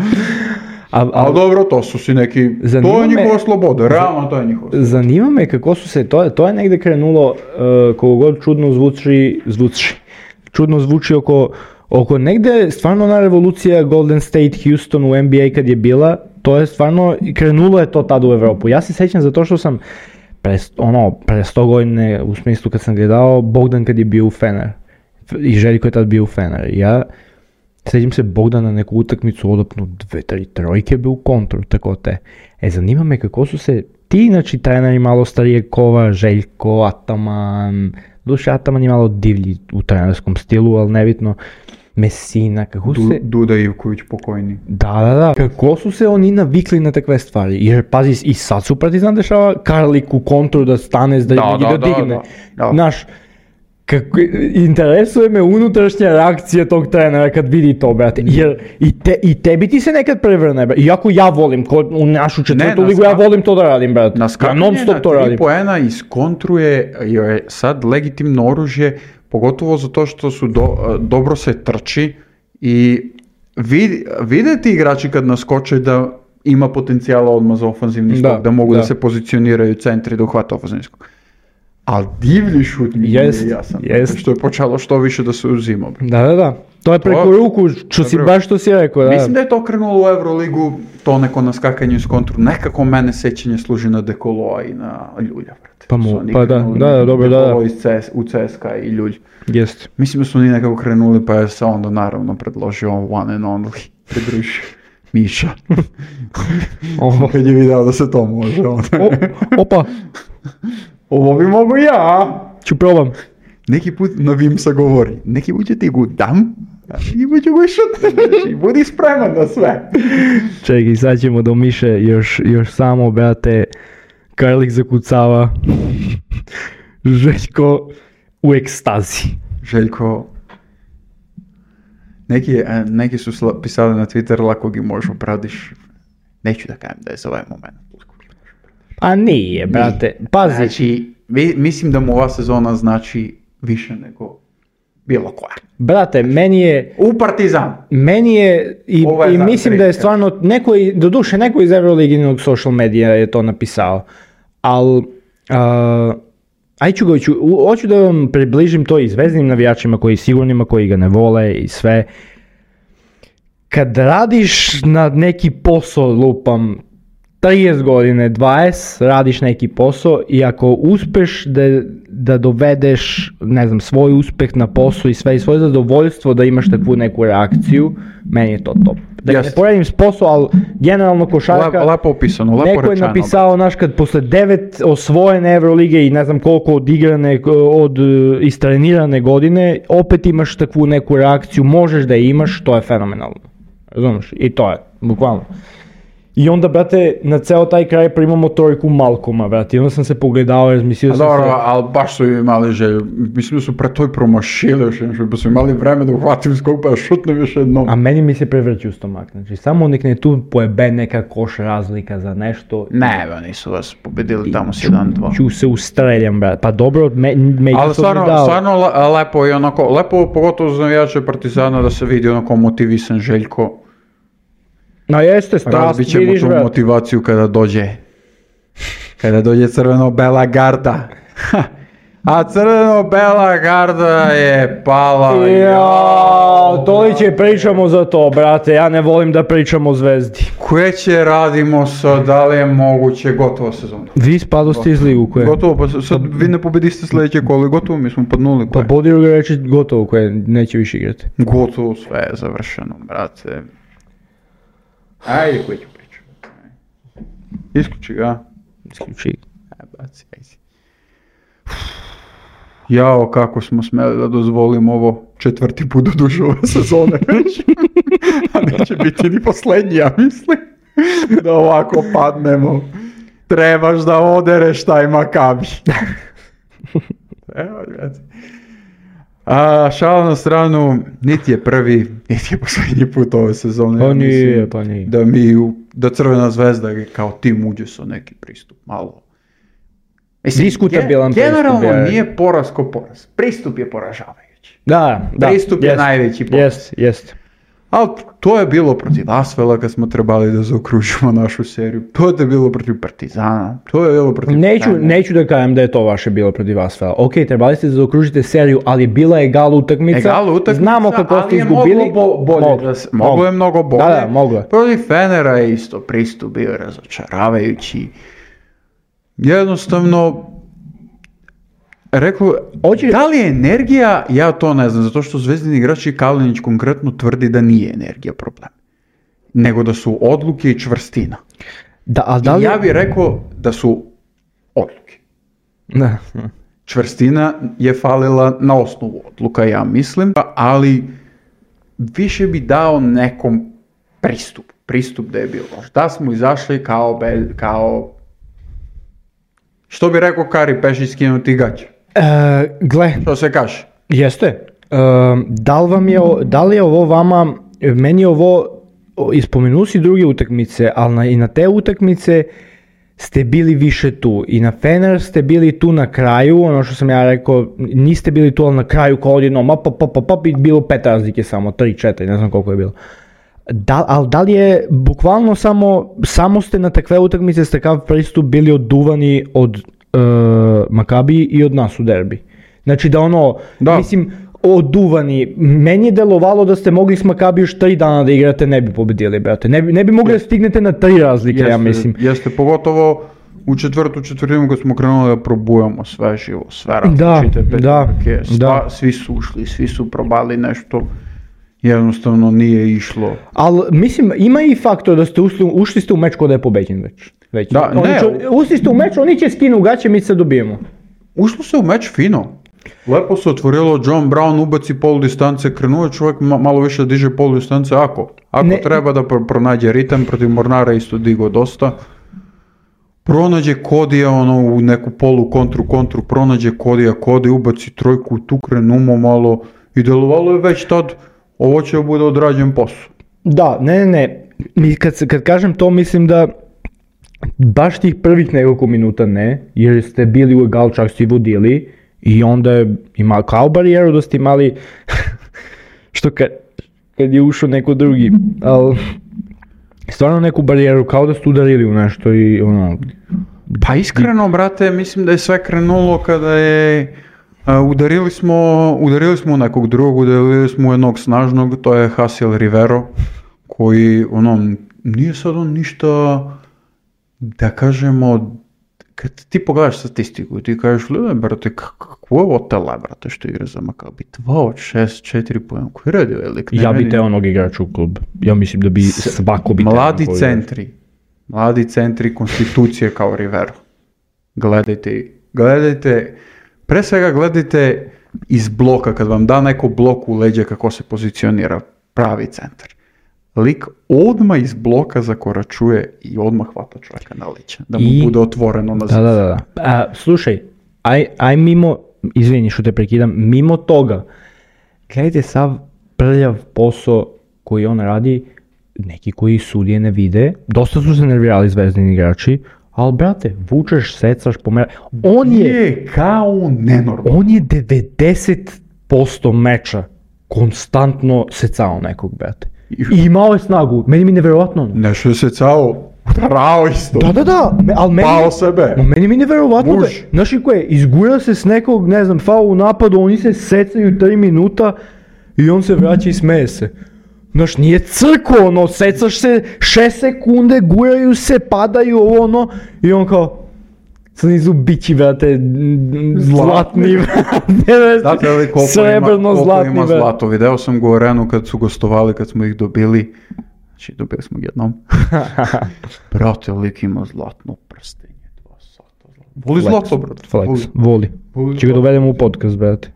Ali dobro, to su si neki, to je njihova sloboda, realno to je njihova sloboda. Zanima me kako su se, to je negde krenulo, koliko god čudno zvuči oko negde, stvarno ona revolucija Golden State, Houston u NBA kad je bila, to je stvarno, krenulo je to tada u Evropu. Ja se sećam zato što sam pre 100 godine, u smislu kad sam gledao Bogdan kad je bio u Fener i Željko je tad bio u Fener. Ja sećam se Bogdana na neku utakmicu odopnu 2-3 trojke bio u kontru, tako te. Zanima me kako su se ti, znači treneri malo starijeg kova, Željko, Ataman, duše Ataman je malo divlji u trenerskom stilu, ali nebitno, Messina, kako su se... Duda Ivković pokojni. Da. Kako su se oni navikli na takve stvari? Jer pazi, i sad su Partizan dešava Karlik u kontru da stane, da digne. Znaš, interesuje me unutrašnja reakcija tog trenera kad vidi to, brate. Jer i tebi ti se nekad prevrne, brate. Iako ja volim, u našu četvrtu ligu, ja volim to da radim, brate. Ja non stop to radim. Na 3 poena iz kontru je sad legitimno oružje, pogotovo zato što su dobro se trči i vide ti igrači kad naskoče da ima potencijala odmah za ofanzivni skok, da mogu da se pozicioniraju centri da uhvata ofanzivni skok. Ali divlji šut mi je jasan, što je počelo što više da se uzima. Da. To je preko ruku, baš što si rekao. Da. Mislim da je to krenulo u Euroligu, to neko naskakanje iz kontru. Nekako mene sećanje služi na Dekoloa i na Ljulja. Dobro. Dekolo u CSKA i Ljulj. Jest. Mislim da su oni nekako krenuli, pa je se onda naravno predložio one and only, pridružio Miša. Kad je video da se to može. Opa! Ovo bi mogu ja. Ću probam. Neki put na Vimsa govori, neki put će ti go dam, a neki put će go šutneš. Budi spreman na sve. Čekaj, sad ćemo do Miše još samo, brate, Karlik zakucava. Željko u ekstazi. Željko, neki su pisali na Twitter, lako gi možeš opradiš. Neću da kajem da je za ovaj moment. A nije, brate, pazi. Znači, mislim da mu ova sezona znači više nego bilo koja. Brate, meni je... U Partizan. Meni je, i mislim da je stvarno, doduše neko iz Euroliginog social medija je to napisao, ali... Hoću da vam približim to i zvezdanim navijačima, sigurnima koji ga ne vole i sve. Kad radiš na neki posao, lupam, 30 godine, 20, radiš neki posao i ako uspeš da dovedeš, ne znam, svoj uspeh na posao i sve i svoje zadovoljstvo da imaš takvu neku reakciju, meni je to top. Da ne poredim s posao, ali generalno košarka, lepo opisano, lepo neko rečeno. Neko je napisao, znaš, kad posle 9 osvojene Evrolige i ne znam koliko odigrane, istrenirane godine, opet imaš takvu neku reakciju, možeš da je imaš, to je fenomenalno. Razumiješ? I to je, bukvalno. I onda, brate, na ceo taj kraj primamo trojku Malcoma, brate, i onda sam se pogledao, jer mislio sam dobro, ali baš su imali želju, mislim da su pre toj promašili još jednom, pa su imali vreme da uhvatim skok, pa šutnem još jednom. A meni mi se prevrći u stomak, znači, samo nek ne tu pojebe neka koš razlika za nešto. Ne, nisu vas pobedili tamo s 1-2. Ću se ustreljam, brate, pa dobro, ali stvarno lepo i onako, lepo pogotovo za navijače Partizana da se vidi onako motivisan Željko. No jeste, strast, vidiš, brate. Razbit ćemo tu motivaciju kada dođe crveno-bela garda. A crveno-bela garda je pala. Toliće pričamo za to, brate, ja ne volim da pričamo o Zvezdi. Koje će radimo sad, da li je moguće, gotovo sezona. Vi spadoste iz ligu, koje? Gotovo, pa sad vi ne pobediste sljedeće kolo, gotovo, mi smo podnuli, koje. Pa Bodiru ga reći gotovo, koje neće više igrati. Gotovo, sve je završeno, brate. Ajde, koji ću pričati. Isključi ga. Isključi. Baci, ajde. Jao, kako smo smeli da dozvolimo ovo 4. put do duže ove sezone već. A neće biti ni posljednji, ja mislim. Da ovako padnemo. Trebaš da odereš taj Makabi. Evo, gledaj. A šala na stranu, niti je prvi, niti je posljednji put ove sezone. Pa Ja nije, mislim pa nije. Da Crvena zvezda kao tim uđe sa neki pristup, malo. Mislim, Diskutabilan generalno pristup, nije poraz ko poraz. Pristup je poražavajući. Da. Pristup je najveći poraz. Jest. Ali to je bilo protiv Asvela kad smo trebali da zaokružimo našu seriju. To je bilo protiv Partizana. To je bilo protiv... Neću da kažem da je to vaše bilo protiv Asvela. Ok, trebali ste da zaokružite seriju, ali bila je egal utakmica. Znamo kako ste izgubili. Moglo je mnogo bolje. Da, moglo je. Protiv Fenera je isto pristup bio razočaravajući. Jednostavno, rekao, da li je energija, ja to ne znam, zato što zvezdini igrači Kalinić konkretno tvrdi da nije energija problem, nego da su odluke i čvrstina. Ja bih rekao da su odluke. Da. Čvrstina je falila na osnovu odluka, ja mislim, ali više bi dao nekom pristup da je bilo. Da smo izašli kao što bi rekao Kari Pešić, skinuti gaće. Gle. Što se kaže? Jeste. Da li je ovo vama, meni je ovo, ispomenuo si druge utakmice, ali i na te utakmice ste bili više tu. I na Fener ste bili tu na kraju, ono što sam ja rekao, niste bili tu, ali na kraju kao odjednom, i bilo 5 razlike samo, 3-4, ne znam koliko je bilo. Ali da li je bukvalno samo ste na takve utakmice s takav pristup bili oduvani od Makabiji i od nas u derbi? Znači mislim, oduvani. Meni je delovalo da ste mogli s Makabiju još 3 dana da igrate, ne bi pobedili, brate. Ne bi mogli da stignete na 3 razlike, ja mislim. Jeste, pogotovo u četvrtinu kad smo krenuli da probujamo sve živo, sve različite petke, svi su ušli, svi su probali nešto. Jednostavno nije išlo. Ali mislim, ima i faktor da ste ušli ste u meč kod da je pobeđen već. Ušli ste u meč, oni će skinu gaće, mi se dobijemo. Ušlo se u meč fino. Lepo se otvorilo, John Brown ubaci pol distance, krenuo čovjek malo više diže pol distance, ako treba da pronađe ritam, protiv Mornara isto digo dosta. Pronađe Kodija u neku polu kontru, pronađe Kodi ubaci trojku, tu krenumo malo i delovalo je već tad. Ovo će bude odrađen posao. Da, ne. Kad kažem to, mislim da baš tih prvih nekoliko minuta ne, jer ste bili u egal, čak ste vodili i onda je imali kao barijeru da ste imali, što kad je ušao neko drugi, ali stvarno neku barijeru, kao da ste udarili u nešto i ono... Pa iskreno, brate, mislim da je sve krenulo kada je... Udarili smo nekog drugog, udarili smo jednog snažnog, to je Hasiel Rivero, koji nije sad on ništa, da kažemo, kad ti pogledaš statistiku i ti kažeš, brate, kako je ovo tele, brate, što igra za Makabi, 2 od 6, 4 pojem, koji radi velik? Ja bi te onog igrača u klub, ja mislim da bi svako bi te mladi centri konstitucije kao Rivero. Gledajte, pre svega gledajte iz bloka, kad vam da neko blok u leđa kako se pozicionira pravi centar. Lik odmah iz bloka zakoračuje i odmah hvata čovjeka na leđa, da mu bude otvoreno na zidu. Da. Slušaj, aj mimo, izvini što te prekidam, mimo toga, gledajte sav prljav posao koji on radi, neki koji sudije ne vide, dosta su se nervirali zvezdini igrači, ali brate, vučeš, secaš, pomera. On je kao nenormalno. On je 90% meča konstantno secao nekog, brate. I imao je snagu. Meni mi nevjerovatno. Nešto je secao, udarao isto. Da. Pao sebe. Meni mi nevjerovatno. Znaš i koje, izgura se s nekog, ne znam, faul u napadu, oni se secaju 3 minuta i on se vraća i smeje se. Znaš, nije crko, secaš se 6 sekunde, guraju se, padaju i on kao, snizu bići, brate, zlatni, brate, srebrno zlatni, ima zlato. Video sam ga u Arenu kad su gostovali, kad smo ih dobili, znači dobili smo jednom. Brate, lik ima zlatno prstenje, 2 sata. Voli zlato, brate. Voli. Če ga dovedemo u podcast, brate.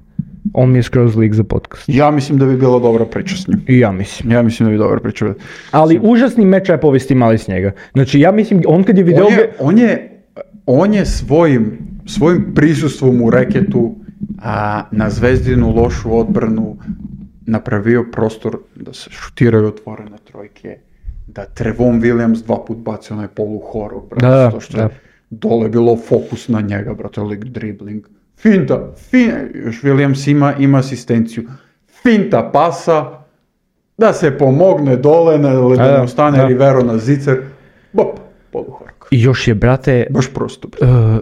On mi je skroz lik za podcast. Ja mislim da bi bila dobra priča s njim. I ja mislim. Ja mislim da bi dobra priča. Ali užasni mečaj povesti imali s njega. Znači ja mislim, on kad je video... On je svojim prisustvom u reketu na Zvezdinu lošu odbranu napravio prostor da se šutiraju otvorene trojke, da Trevon Williams 2 put bacio onaj poluhorog, brate, zato što je dole bilo fokus na njega, brate, lik dribling. Finta, još Williams ima asistenciju. Finta pasa, da se pomogne dole, da ne stane Rivero na zicer, bop, poluhorog. I još je, brate, baš prosto,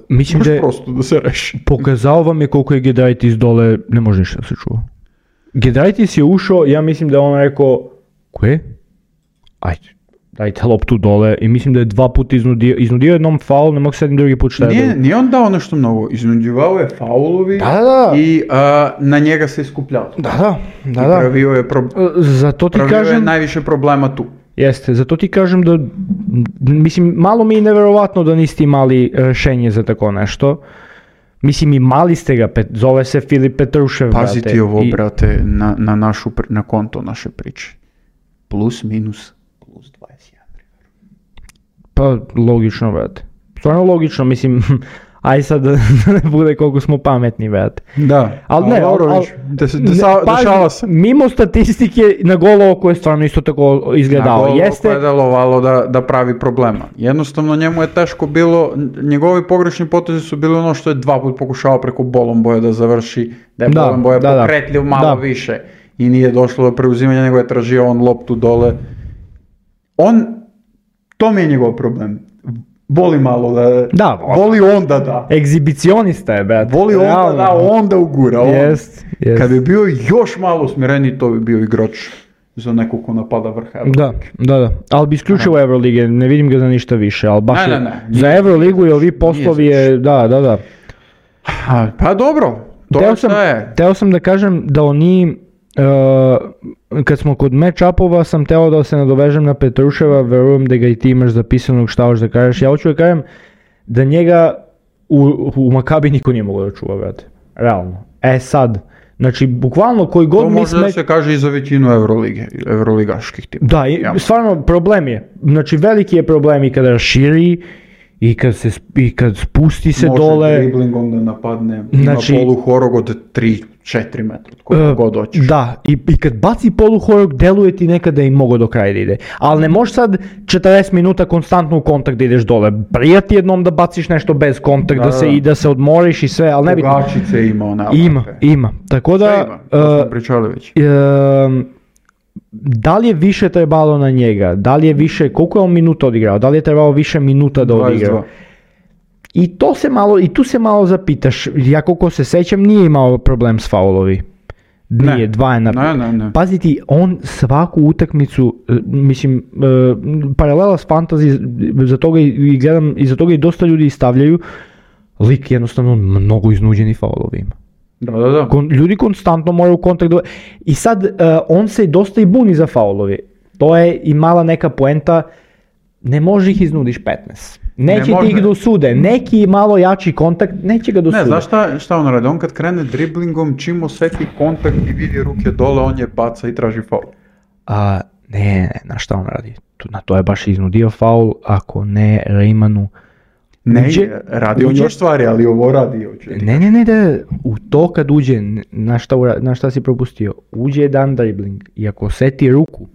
mislim baš prosto da se reši. Pokazao vam je koliko je Giedraitis dole, ne može ništa da se čuva. Giedraitis je ušao, ja mislim da je on rekao, koje? Ajde, dajte loptu dole, i mislim da je 2 puta iznudio jednom faul, ne mogu sad drugi put šta je bilo. Nije on dao nešto mnogo, iznudjivao je faulovi i na njega se iskupljao. Da. I pravio je, je najviše problema tu. Jeste, zato ti kažem da, mislim, malo mi je neverovatno da niste imali rešenje za tako nešto. Mislim, imali ste ga, zove se Filip Petrušev, brate. Pazi ti ovo, brate, na konto naše priče. Plus, minus, plus 21. Pa, logično, brate. Stvarno logično, mislim, aj sad da ne bude koliko smo pametni, brate. Da, ali dešava se. Mimo statistike, na golo oko je stvarno isto tako izgledao. Na golo oko je delovalo da pravi problema. Jednostavno njemu je teško bilo, njegovi pogrešni potezi su bili ono što je 2 put pokušao preko Bolomboja da završi, da je Bolomboja pokretljiv malo više i nije došlo do preuzimanja, nego je tražio on loptu dole. To mi je njegov problem. Voli malo da, voli onda da. Egzibicionista je, brat. Voli onda ugura. Jest. Kad bi bio još malo smireniji, to bi bio igrač za nekog ko napada vrha Euroligi. Da. Ali bi isključio Eurolige, ne vidim ga za ništa više, ali baš za Euroligu i ovi poslovi je, da. Pa dobro, to šta je. Teo sam da kažem da oni, kad smo kod match-upova, sam teo da se nadovežem na Petruševa, verujem da ga i ti imaš zapisanog šta hoćeš da kažeš. Ja hoću da kažem da njega u Makabi niko nije mogao da čuva, brate. Realno. Sad, znači, bukvalno koji god to može da se kaže i za većinu evroligaških tima. Da, stvarno problem je. Znači, veliki je problem i kada raširi, i kad spusti se dole. Može driblingom da napadne, ima poluhorog od 3-4 metra, koliko god hoćeš. Da, i kad baci poluhorog, deluje ti nekada i mogo do kraja da ide. Ali ne možeš sad 40 minuta konstantno u kontakt da ideš dole. Prijati jednom da baciš nešto bez kontakt, da se odmoriš i sve, ali ne bitno. Pogačice ima ona. Ima. Tako da... Sve ima, to smo pričali već. Da li je više trebalo na njega? Da li je više, koliko je on minuta odigrao? Da li je trebalo više minuta da odigra? 22. I tu se malo zapitaš, ja koliko se sećam nije imao problem s faulovi. Nije, 2 je Ne. Pazi ti, on svaku utakmicu, mislim, paralela s fantasy, za toga i gledam, i za toga i dosta ljudi stavljaju, lik jednostavno mnogo iznuđeni faulovi ima. Da. Ljudi konstantno moraju u kontakt i sad on se dosta i buni za faulovi. To je i mala neka poenta, ne može ih iznudiš 15. Neće ti ih dosude, neki malo jači kontakt, neće ga dosude. Ne, znaš šta on radi? On kad krene driblingom, čim osjeti kontakt i vidi ruke dole, on je baca i traži faul. Ne, na šta on radi? Na to je baš iznudio faul, ako ne Raymanu. Ne, radi on još stvari, ali ovo radi. Ne, u to kad uđe, na šta si propustio, uđe jedan dribbling i ako osjeti ruku.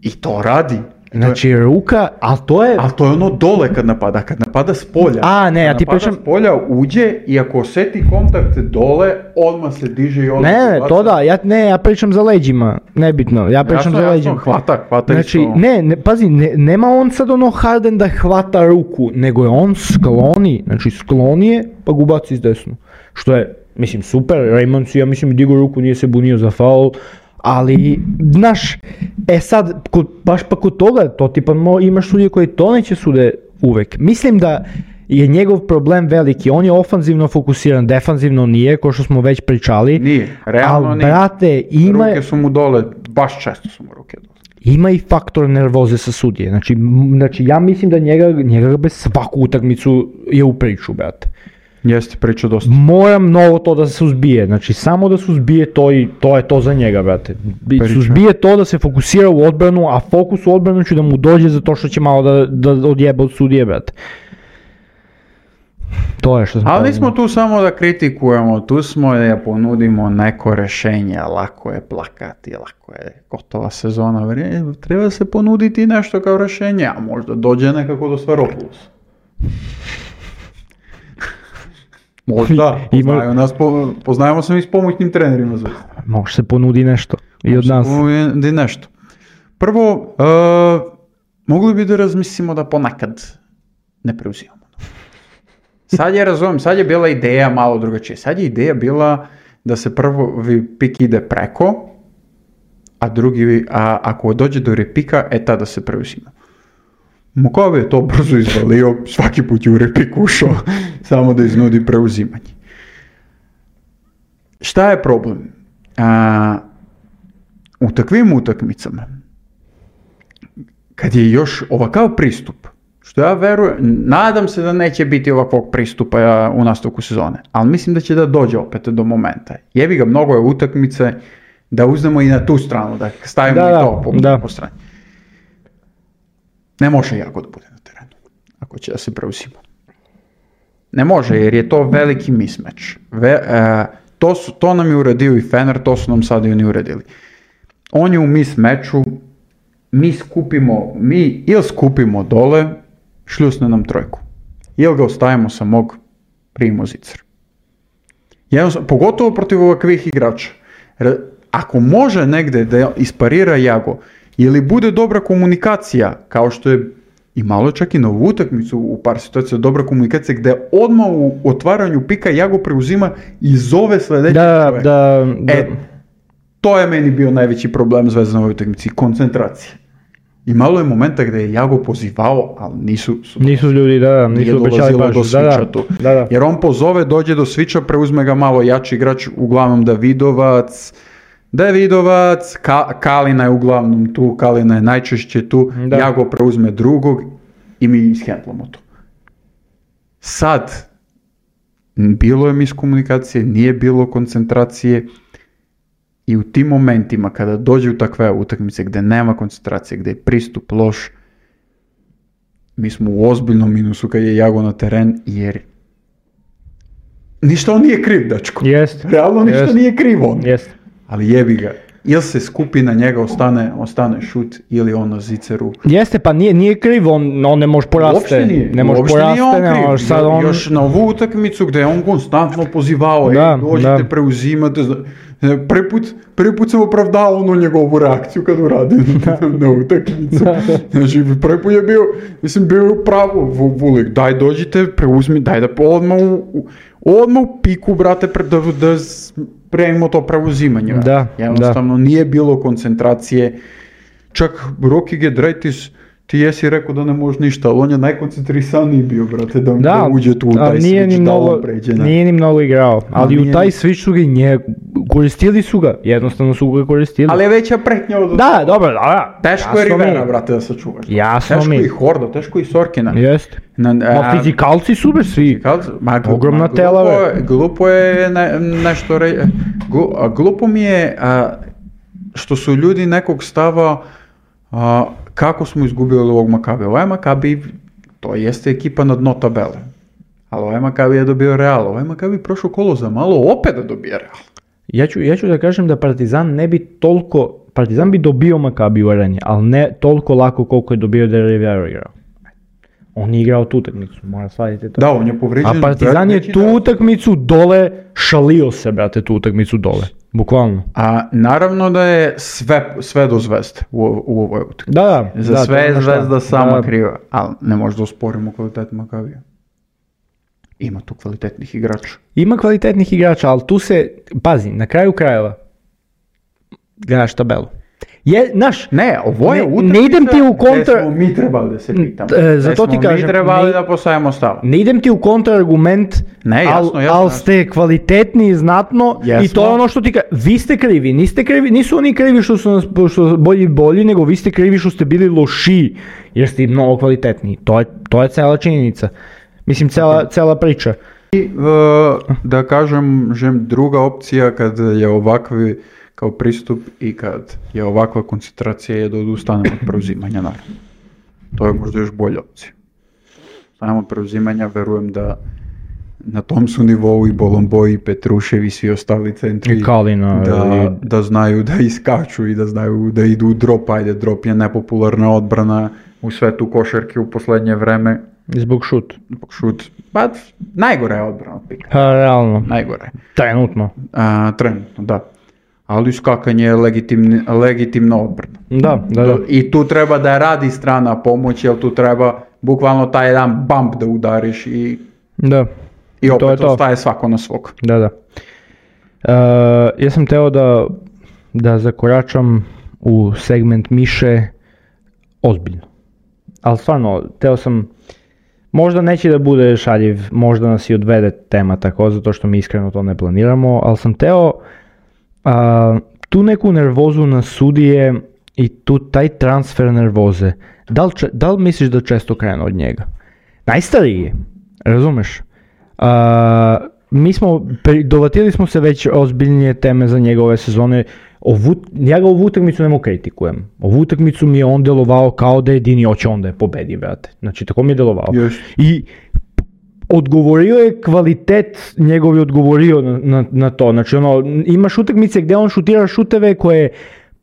I to radi. Znači ruka, ali to je ono dole kad napada s polja. Ja ti pričam. S polja uđe i ako osjeti kontakt dole, odmah se diže i odmah se baca. To da, ja pričam za leđima, nebitno, ja pričam za leđima. Hvata znači, isto. Pazi, nema on sad ono Harden da hvata ruku, nego je on sklonije, pa ga ubaci s desnu. Što je, mislim, super, Raymond si, ja mislim, digo ruku, nije se bunio za faul. Ali, znaš, sad, baš pa kod toga, to ti pa imaš sudije koji to neće sude uvek. Mislim da je njegov problem veliki, on je ofanzivno fokusiran, defanzivno nije, ko što smo već pričali. Nije, realno nije. Brate, ruke su mu dole, baš često su mu ruke dole. Ima i faktor nervoze sa sudije, znači ja mislim da njega bez svaku utakmicu je u priču, brate. Jeste, priča dosta. Mora mnogo to da se suzbije, znači samo da suzbije to i to je to za njega, brate. Suzbije to da se fokusira u odbranu, a fokus u odbranu će da mu dođe zato što će malo da odjeba od sudije, brate. To je što smo Ali nismo tu samo da kritikujemo, tu smo da ponudimo neko rješenje, lako je plakati, lako je gotova sezona, treba se ponuditi nešto kao rješenje, a možda dođe nekako do Sferopoulos. Možda, poznajemo se mi s pomoćnim trenerima. Može se ponudi nešto i od nas. Ponudi nešto. Prvo, mogli bi da razmislimo da ponekad ne preuzimamo. Sad je bila ideja malo drugačije. Sad je ideja bila da se prvi pik ide preko, a ako dođe do repika, tada se preuzima. Mokove je to brzo izvalio, svaki put je u repik ušao, samo da iznudi preuzimanje. Šta je problem? U takvim utakmicama, kad je još ovakav pristup, što ja verujem, nadam se da neće biti ovakvog pristupa u nastavku sezone, ali mislim da će da dođe opet do momenta. Jebi ga, mnogo je utakmice, da uzmemo i na tu stranu, da stavimo i to po strani. Ne može Jago da bude na terenu, ako će da se preuzima. Ne može, jer je to veliki mismatch. To nam je uradio i Fener, to su nam sad i oni uradili. On je u mismatchu, mi ili skupimo dole, šljusne nam trojku. Ili ga ostavimo samog, primimo zicer. Pogotovo protiv ovakvih igrača. Ako može negde da isparira Jago, ili bude dobra komunikacija, kao što je i malo čak i na ovu utakmicu u par situacija dobra komunikacija, gde odmah u otvaranju pika Jago preuzima i zove sljedeći čovjek. To je meni bio najveći problem Zvezda na ovoj utakmici, koncentracija. I malo je momenta gde je Jago pozivao, ali nisu ljudi, nisu obećali baš. Do sviča tu. Jer on pozove, dođe do sviča, preuzme ga malo jači igrač, uglavnom Davidovac, Kalina je uglavnom tu, Kalina je najčešće tu, Jago preuzme drugog i mi ishendlamo to. Sad, bilo je miskomunikacije, nije bilo koncentracije i u tim momentima kada dođe u takve utakmice gdje nema koncentracije, gdje je pristup loš, mi smo u ozbiljnom minusu kad je Jago na teren, jer ništa on nije kriv, dečko. Realno ništa nije kriv on. Ali jebi ga, ili se skupi na njega, ostane šut, ili on na ziceru. Jeste, pa nije kriv, on ne može poraste. Uopšte nije on kriv. Još na ovu utakmicu gdje je on konstantno pozivao, dođite, preuzimate. Prvi put sam opravdao onu njegovu reakciju kad uradi na utakmicu. Znači, prvi put je bio u pravu, Vulik, daj dođite, preuzmi, daj da odmah u piku, brate, da spremimo to preuzimanje. Jednostavno nije bilo koncentracije. Čak Roki Giedraitis, ti jesi rekao da ne može ništa, ali on je najkoncentrisaniji bio, brate, da uđe tu u taj switch, da on pređe. Nije ni mnogo igrao, ali u taj switch su ga koristili su ga, jednostavno su ga koristili. Ali je veća pretnja od... Da, dobro, teško je Rivera, brate, da sačuvaš. Teško i Horda, teško i Sorkina. Jeste. Fizikalci su bez svi. Ogromna tela. Glupo je nešto reći. Glupo mi je što su ljudi nekog stava kako smo izgubili ovog Makabija. Ovaj Makabi, to jeste ekipa na dno tabele. Ali ovaj Makabi je dobio Real. Ovaj Makabi prošlo kolo za malo opet da dobije Real. Ja ću da kažem da Partizan ne bi toliko... Partizan bi dobio Makabi u areni, ali ne toliko lako koliko je dobio da je Rivero igrao. On je igrao tu utakmicu, mora shvatiti to. Da, on je povređen. A Partizan je tu utakmicu dole šalio se, brate, tu utakmicu dole. Bukvalno. A naravno da je sve do Zvezde u ovoj utakmici. Za sve je Zvezda sama kriva, ali ne možda da osporimo kvalitet Makabija. Ima tu kvalitetnih igrača. Ima kvalitetnih igrača, ali tu se, pazi, na kraju krajeva gledaš tabelu. Ovo je utakmica ne idem ti u kontra... gdje smo mi trebali da se pitamo. Zato ti kažem, mi trebali da postavimo stav. Ne idem ti u kontraargument, ali ste kvalitetni znatno i to je ono što ti kažem. Vi ste krivi, niste krivi, nisu oni krivi što su bolji, nego vi ste krivi što ste bili lošiji, jer ste mnogo kvalitetniji. To je cela činjenica. Mislim, cela priča. I da kažem, druga opcija kad je ovakvi kao pristup i kad je ovakva koncentracija je da odustanemo od preuzimanja, naravno. To je možda još bolja opcija. Stanemo od preuzimanja, verujem da na tom su nivou i Bolomboji, i Petrušev i svi ostali centri. I Kalina. Da znaju da iskaču i da znaju da idu u drop. Ajde, drop je nepopularna odbrana u svetu košarke u posljednje vreme. Zbog šut. Pa, najgore je odbrana od pika. Realno. Najgore. Trenutno. Trenutno, da. Ali skakanje je legitimna odbrana. Da. I tu treba da radi strana pomoć, jer tu treba bukvalno taj jedan bump da udariš i opet ostaje svako na svog. Da. Ja sam teo da zakoračam u segment Miše ozbiljno. Ali stvarno, teo sam, možda neće da bude šaljiv, možda nas i odvede tema tako, zato što mi iskreno to ne planiramo, ali sam teo tu neku nervozu na sudije i tu taj transfer nervoze. Da li misliš da često krenu od njega? Najstariji je, razumeš? Dovatili smo se već ozbiljnije teme za njegove sezone. Ja ga ovu utakmicu ne mogu kritikujem. Ovu utakmicu mi je on delovao kao da jedini hoće onda je pobedi, brate. Znači, tako mi je delovao. Yes. I odgovorio je kvalitet, njegov je odgovorio na to. Znači, imaš utakmice gdje on šutira šuteve koje je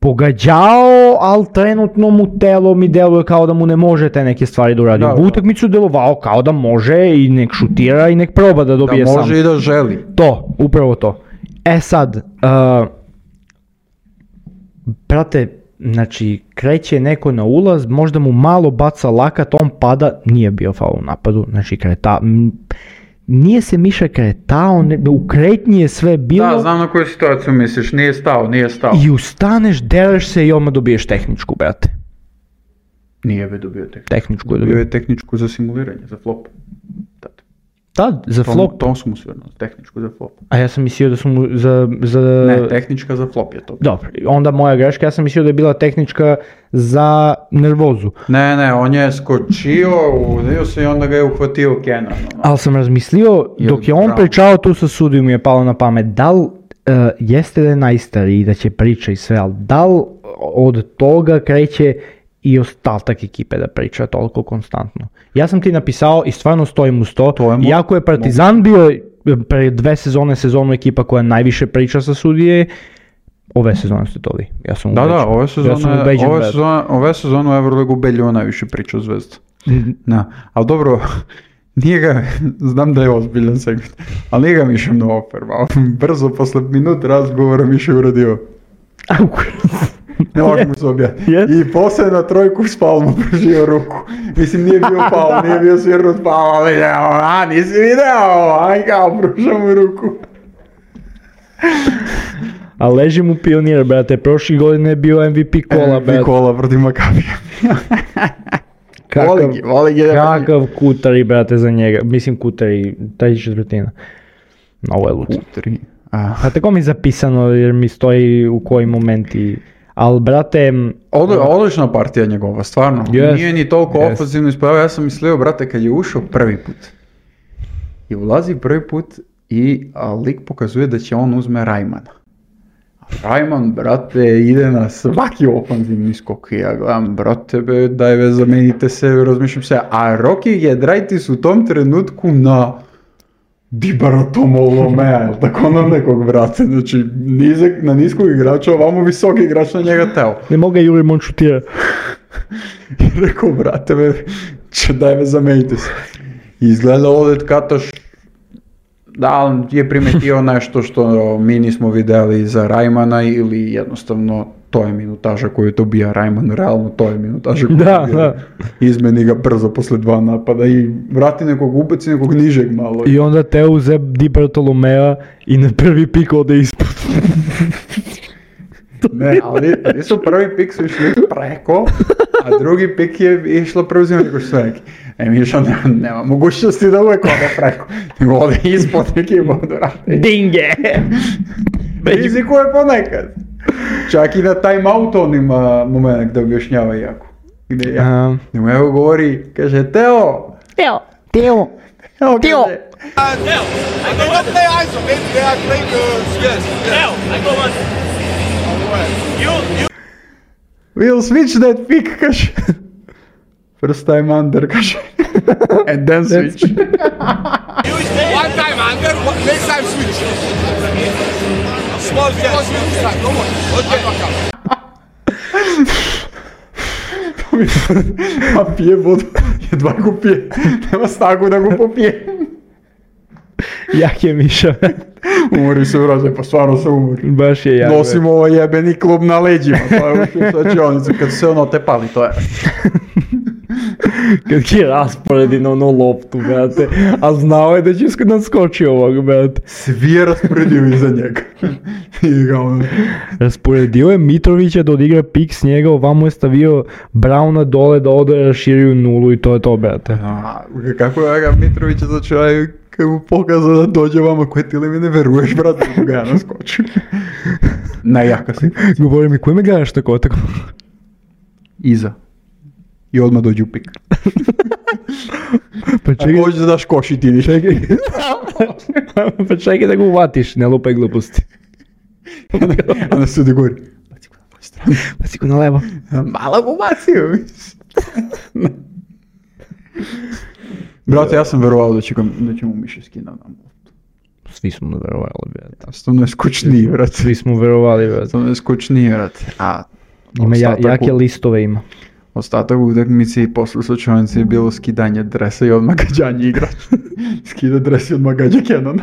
pogađao, ali trenutno mu telo mi deluje kao da mu ne može te neke stvari da uradi. U utakmicu delovao kao da može i nek šutira i nek proba da dobije sam. Da može i da želi. To, upravo to. Sad, brate, znači, kreće neko na ulaz, možda mu malo baca lakat, on pada, nije bio faul u napadu, znači nije se Miša kretao, u kretnji je sve bilo. Da, znam na koju situaciju misliš, nije stao. I ustaneš, dereš se i odmah dobiješ tehničku, brate. Nije bi dobio tehničku. Dobio je tehničku za simuliranje, za flop. Da, za flop. To su mu sve tehničku za flop. A ja sam mislio da su mu za... Ne, tehnička za flop je to. Dobro, onda moja greška, ja sam mislio da je bila tehnička za nervozu. Ne, on je skočio, udio se i onda ga je uhvatio Kenan. Ali sam razmislio, dok je on pričao tu sa sudijom mi je palo na pamet, da li jeste da je najstariji, da će priča i sve, ali da li od toga kreće i ostatak ekipe da priča toliko konstantno. Ja sam ti napisao i stvarno stojim uz to, iako je Partizan bio pre 2 sezonu ekipa koja najviše priča sa sudije, ove sezone ste to vi. Ja sam ubeđen. Da, ove sezone u Euroligu Beljo najviše priča o Zvezdu. Ali dobro, nije ga, znam da je ozbiljan segment, ali nije ga Miša mnogo ofervao. Brzo, posle minut razgovora Miša je uradio. Ne možemo se objati. I poslije na trojku s palmu pružio ruku. Mislim, nije bio pal, nije bio svirnut pal, ali nisi video, aj kao pružao mu ruku. A leži mu Pionir, brate, prošli godine je bio MVP kola, brate. MVP kola protiv Makabija. Kakav Kutari, brate, za njega. Mislim, Kutari, 3/4. Ovo je luto. A tako mi je zapisano, jer mi stoji u koji momenti... Ali, brate... Odlična partija njegova, stvarno. Nije ni toliko ofenzivno ispravio. Ja sam mislio, brate, kad je ušao prvi put i ulazi prvi put i lik pokazuje da će on uzme Rajmana. Rajman, brate, ide na svaki ofenzivni skok i ja gledam, brate, daj zamenite se, razmišljam se. A Rocky Giedraitis u tom trenutku na Dibaratomolomea, ili tako na nekog, brate, znači na niskog igrača, ovamo visok igrač na njega teo. Ne mogu ga Juri Mon šutira. I rekao, brate, daj zamenite se. Izgleda ovdje Kataš, da je primetio nešto što mi nismo vidjeli za Rajmana ili jednostavno to je minutaža koju dobija Rajman, realno to je minutaža koju dobija. Izmeni ga brzo posle 2 napada i vrati nekog, ubaci nekog nižeg malo. I onda te uze Di Bartolomea i na prvi pik ode ispod. Ne, ali su prvi pik su išli preko, a drugi pik je išlo preuzimati neko što neki. Miša nema mogućnosti da uvijek ode preko, nego ode ispod neki vodu rade. Dinge! Rizikuje ponekad. Čak i na time-out on ima moment da objašnjava jako. Gdje ja. Nemo evo govori, kaže Teo! Teo! Teo, I go up there, ISO, baby, I play yes. Teo, I go on. You. We'll switch that pick, kaže. First time under, kaže. And then switch. One time under, next time switch. Small jet. Okay. A pije vodu, jedva go pije, nema snagu da go popije. Jak je Miša? Umori se vraže, pa stvarno se umori. Baš je jak. Nosimo ovaj jebeni klub na leđima, to je ušao slačionicu, kad se ono tepali, to je. Kad ti rasporedi na ono loptu, brate, a znao je da će naskoči ovog, brate. Svi je rasporedio iza njega. I ga ono... Rasporedio je Mitrovića da odigra pik s njega, ovamo je stavio Brauna dole da ode raširio nulu i to je to, brate. A, kako je ga Mitrovića začeo, kad mu pokazao da dođe vama, koje ti li mi ne veruješ, brate, da ga ja naskočim. Najjaka si. Govori mi, koji me gledaš tako? Iza. I odmah dođu u pik. Pa čekaj, Ako hoćeš da daš koš i ti niš. pa čekaj da ga uvatiš, ne lupaj gluposti. A na sudi gori. Baci go na tvoju stranu. Baci go na levo. Malo go bacio. Brate, ja sam verovao da će mu Miše skina na motu. Svi smo verovali, brate. Stvarno je skučniji, brate. Svi smo verovali, brate. Stvarno je skučniji, brate. A Ima jake listove ima. ostatak utakmice i posle slučajnice je bilo skidanje dresa i odmah gađanje igrača. Skida dres i odmah gađa Kenona.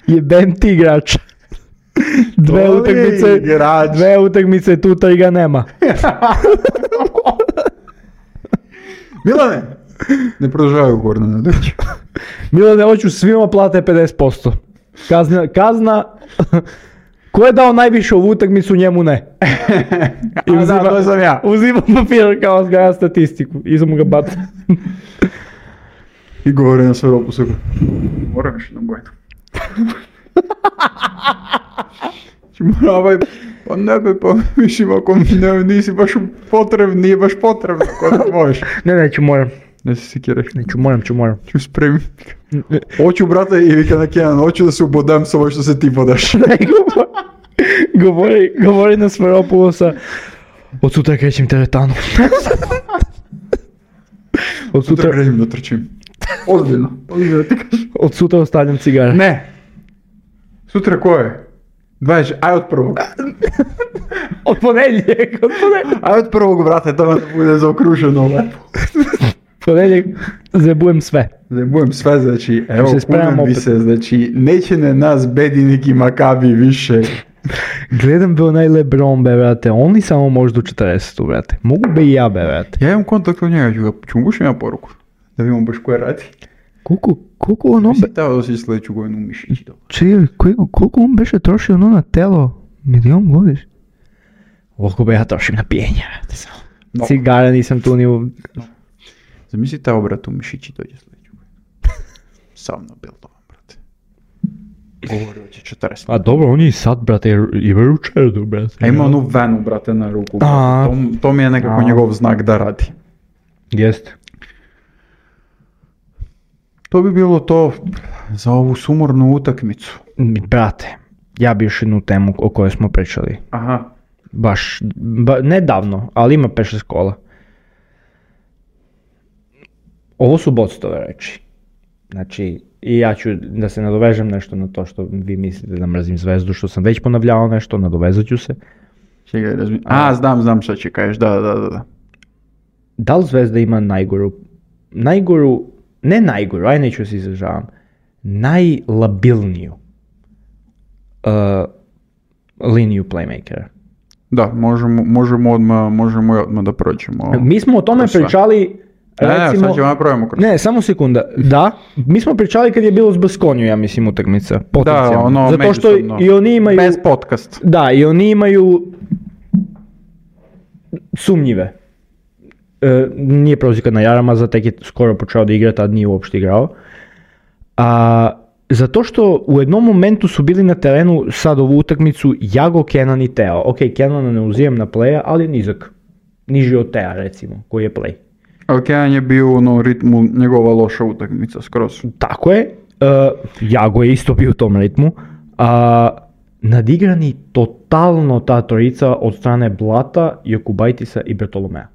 Jebem ti igrača. Dve utakmice tu ga nema. Milane! Ne produžavaju Gorna Nedrić. Milane, hoću svima plate 50%. Kazna... Ko je dao najviše ovu utakmicu, njemu ne. A da, to sam ja. Uzimam papir kao zgaja statistiku. I sam ga baca. I govori na sve opusu. Moram još jednom bojnu. Moravaj, pa ne be, pa mislim ako nisi baš potrebno, nije baš potrebno ako da možeš. Ne, neću, moram. Ne se sikiraš. Neću, moram. Ću spremiti. Hoću, brate, i vika na Kenan, hoću da se ubodem sa ovo što se ti bodaš. Govori na Sferopulosa, od sutra krećem teretanu. Od sutra krećem da trčim. Ozbiljno ti kažeš. Od sutra ostavljam cigare. Ne. Sutra ko je? 20, aj od prvog. Od ponedjeljeg. Aj od prvog, brate, to da bude zaokruženo lepo. Ponedjeljeg zabujem sve. Znači, evo, kunem mi se, znači, neće ne nas bedi neki Makabi više. Gledam be onaj LeBron, be, brate, on li samo može do 40, brate. Mogu be i ja, be, brate. Ja imam kontakt od njega, ću mu bušim ja poruku. Da vidimo baš koje radi. Koliko on obe... Mislim teo da si sljedeću godinu u mišići dobro. Čekaj, koliko on beše trošio ono na telo? Milion godiš? Koliko be ja trošim na pijenje, brate, samo. No. Cigara nisam tu ni u... No. Zamisli te obrat u mišići dođe sljedeću godinu. Sam na bildovan, brate. Govorio će 40. A dobro, on je i sad, brate, i veručerdu, brate. A ima onu venu, brate, na ruku. To mi je nekako njegov znak da radi. Jeste. To bi bilo to za ovu sumornu utakmicu. Brate, ja bi još jednu temu o kojoj smo pričali. Aha. Baš, nedavno, ali ima 5-6 kola. Ovo su boctove reči. Znači, i ja ću da se nadovežem nešto na to što vi mislite da mrzim Zvezdu, što sam već ponavljao nešto, nadovezat ću se. Čekaj, znam šta će kažeš, da. Da li Zvezda ima najgoru, ne najgoru, aj neću se izražavam, najlabilniju liniju playmakera? Da, možemo odmah da prođemo. Mi smo o tome pričali, recimo... sad ćemo napravimo kroz. Ne, samo sekunda. Da, mi smo pričali kad je bilo s Baskoniju, ja mislim, utakmica. Da, ono, zato što i oni imaju... Bez podcast. Da, i oni imaju sumnjive. Nije prozika na Jaramaza, tek je skoro počeo da igra, tad nije uopšte igrao. Zato što u jednom momentu su bili na terenu sad ovu utakmicu Jago, Kenan i Teo. Ok, Kenana ne uzimam na playa, ali je nizak. Niži od Tea, recimo, koji je play. Ali Kenan je bio u ritmu njegova loša utakmica skroz. Tako je. Jago je isto bio u tom ritmu. Nadigrani totalno ta trojica od strane Blata, Jokubajtisa i Bertolomea.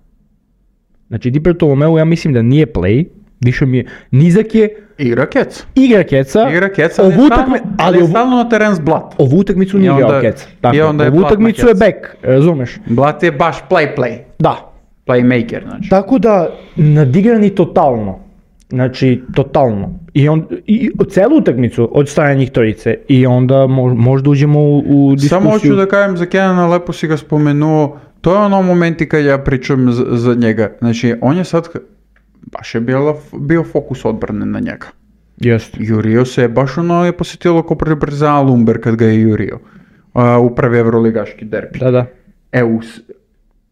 Znači Di Bartolomeu ja mislim da nije play, više mi je nizak je, Igra keca. igra keca, ali je stalno na teren s Blat. ovu utakmicu nije igrao keca. Tako, onda je ovu Blat na utakmicu je keca. back, razumeš? Blat je baš play. Da. Playmaker, znači. Tako da nadigrani totalno. Znači, totalno. I celu utakmicu od strane njih trojice. I onda možda uđemo u diskusiju. Samo hoću da kažem za Kenana, lepo si ga spomenuo, to je ono momenti kad ja pričam za njega. Znači, on je sad, baš je bio fokus odbrane na njega. Jeste. Jurio se, baš ono je posjetilo ko Partizan Lumber kad ga je jurio. U prvi evroligaški derbi. Da.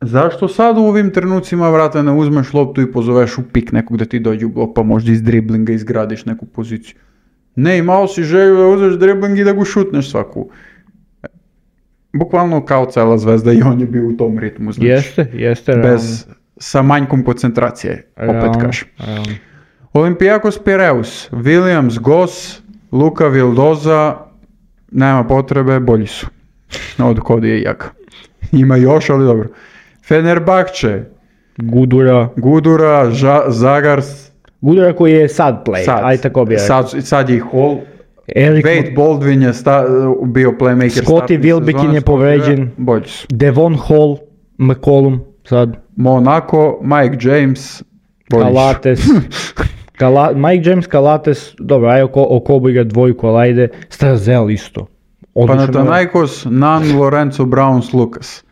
Zašto sad u ovim trenucima, vrata, ne uzmeš loptu i pozoveš u pik nekog da ti dođe u blok, pa možda iz driblinga izgradiš neku poziciju? Ne, imao si želju da uzmeš dribling i da go šutneš svaku. Bukvalno kao cela Zvezda i on je bio u tom ritmu, znači. Jeste. Sa manjkom koncentracije, opet kažem. Olympiakos Pireus, Williams, Goss, Luka Vildoza, nema potrebe, bolji su. Od Kodi je jaka. Ima još, ali dobro. Fenerbahče, Gudura, Zagars. Gudura koji je sad play, aj tako bi rekao. Sad je i Hall. Wade Baldwin je bio playmaker. Scottie Wilbekin je povređen. Bolji su. Devon Hall, McCollum sad. Monaco, Mike James, bolji Kalates. Mike James, Kalates, dobro, aj Okobo igra dvojku, ali ajde. Strazel isto. Panathinaikos, Nan, Lorenzo, Browns, Lucas.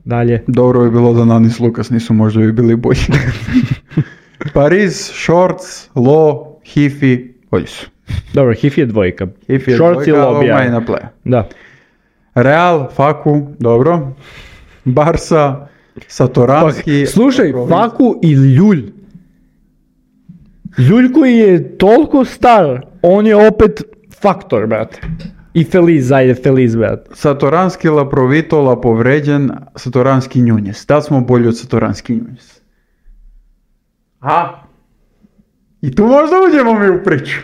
Dalje. Dobro bi bilo da Nanis Lukas nisu, možda bi bili bolji. Pariz, Shorts, Lo, Hifi, bolji su. Dobro, Hifi je dvojka. Shorts i Lo bijaj na play. Da. Real, Faku, dobro. Barsa, Satoranski. Slušaj, Faku i Ljulj. Ljulj koji je toliko star, on je opet faktor, brate. I Feliz, brate. Satoranski, Laprovitola povređen, Satoranski Njunjes. Da smo bolji od Satoranski Njunjes? I tu možda uđemo mi u priču.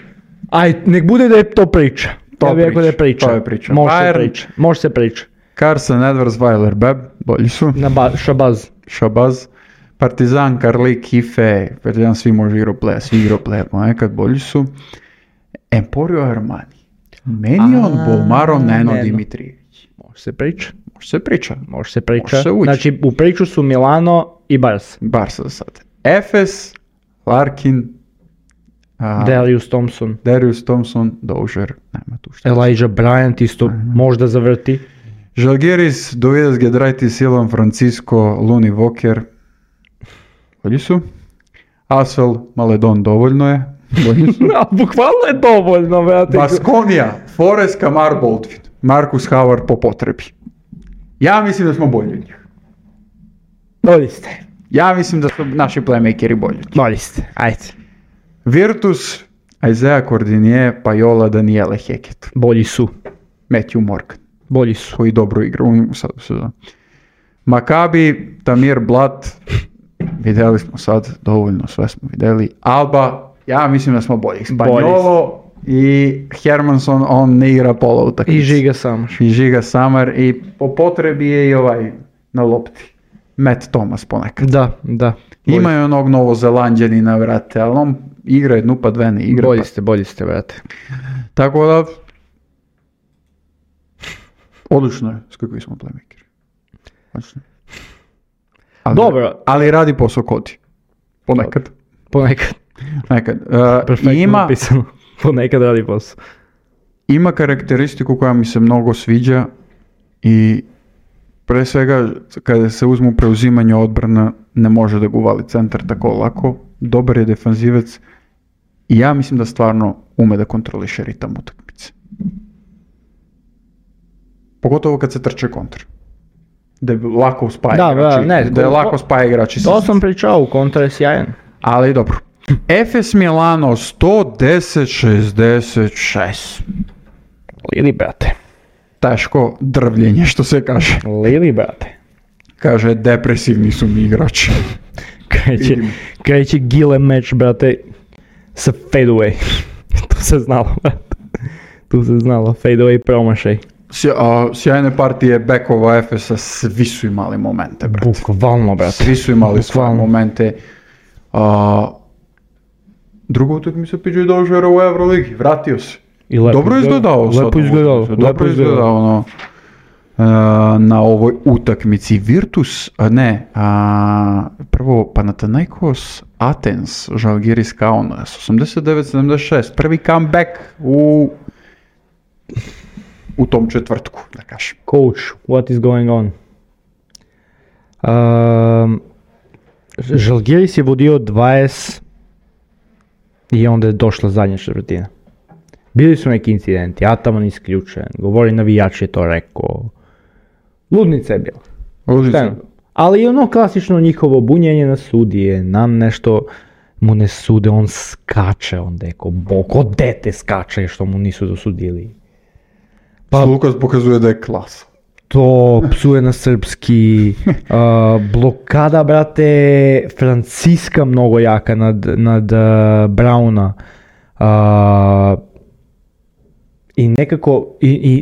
Aj, nek bude da je to priča. To je priča. Može se priča. Carson, Edwards, Weiler, Beb, bolji su. Šabaz. Partizan, Karlik, Hife, Partizan svi može igrao play, ponekad bolji su. Emporio Armani. Menion, Bolmaro, Neno, Dimitrijević. Može se priča. Znači u priču su Milano i Barca. Barca za sad. Efes, Larkin, Darius Thompson, Dozier, nema tu šta. Elijah Bryant isto možda zavrti. Žalgiris, Dovidas Giedraitis, Ilan Francisco, Looney Walker. Bolji su. Asvel, Maledon, dovoljno je. Bukvalno je dovoljno, brate. Baskonija, Forest, Kamar, Baldwin, Marcus Howard po potrebi. Ja mislim da smo bolji od njih. Bolji ste. Ja mislim da su naši playmakeri bolji. Bolji ste, ajde. Virtus, Isaiah Cordinier, Pajola, Daniele Heket. Bolji su. Matthew Morgan. Bolji su. Koji dobro igra u sezonu. Maccabi, Tamir Blat, vidjeli smo sad, dovoljno sve smo vidjeli. Alba, ja mislim da smo bolji. Spanjolo i Hermanson, on ne igra pola utakmice. I Žiga Samar i po potrebi je i ovaj na lopti. Matt Thomas ponekad. Da. Imaju onog Novozelanđanina, vrate, ali on igra jednu pa dve ne igra. Bolji ste, vrate. Tako da, odlično je s kakvi smo playmakeri. Dobro. Ali radi posao Kodi. Ponekad. Perfektno napisano. Ponekad radi posao. Ima karakteristiku koja mi se mnogo sviđa i pre svega kada se uzmu preuzimanje odbrana ne može da ga uvali centar tako lako. Dobar je defanzivac i ja mislim da stvarno ume da kontroliše ritam utakmice. Pogotovo kad se trče kontra. Da je lako spaja igrači. Da je lako spaja igrači. To sam pričao, u kontra je sjajan. Ali dobro. Efes Milano 110-66. Lili, brate. Teško drvljenje, što se kaže. Lili, brate. Kaže, depresivni su mi igrači. Kreće Gile meč, brate, sa fade away. Tu se znalo, brate. Fade away promašaj. Sjajne partije bekova Efesa, svi su imali momente, brate. Bukvalno, brate. Svi su imali svoje Bukvalno. momente. Druga utakmica PJ Doziera u Euroligi, vratio se. I lepo Dobro izgledao. Lepo izgledao. Dobro izgledao, ono. Na ovoj utakmici Virtus, prvo Panathinaikos Athens, Žalgiris Kaunas, 89-76, prvi comeback u tom četvrtku, da kažem. Coach, what is going on? Žalgiris je vodio 20 i onda je došla zadnja četvrtina. Bili su neki incidenti, Ataman isključen, govori navijač je to rekao. Ludnica je bila. Ludnica. Ali i ono klasično njihovo bunjenje na sudije, nam nešto mu ne sude, on skače, onda je ko dete skače što mu nisu dosudili. Pa Lukas pokazuje da je klasa. To psuje na srpski, blokada, brate, Franciska mnogo jaka nad Brauna. I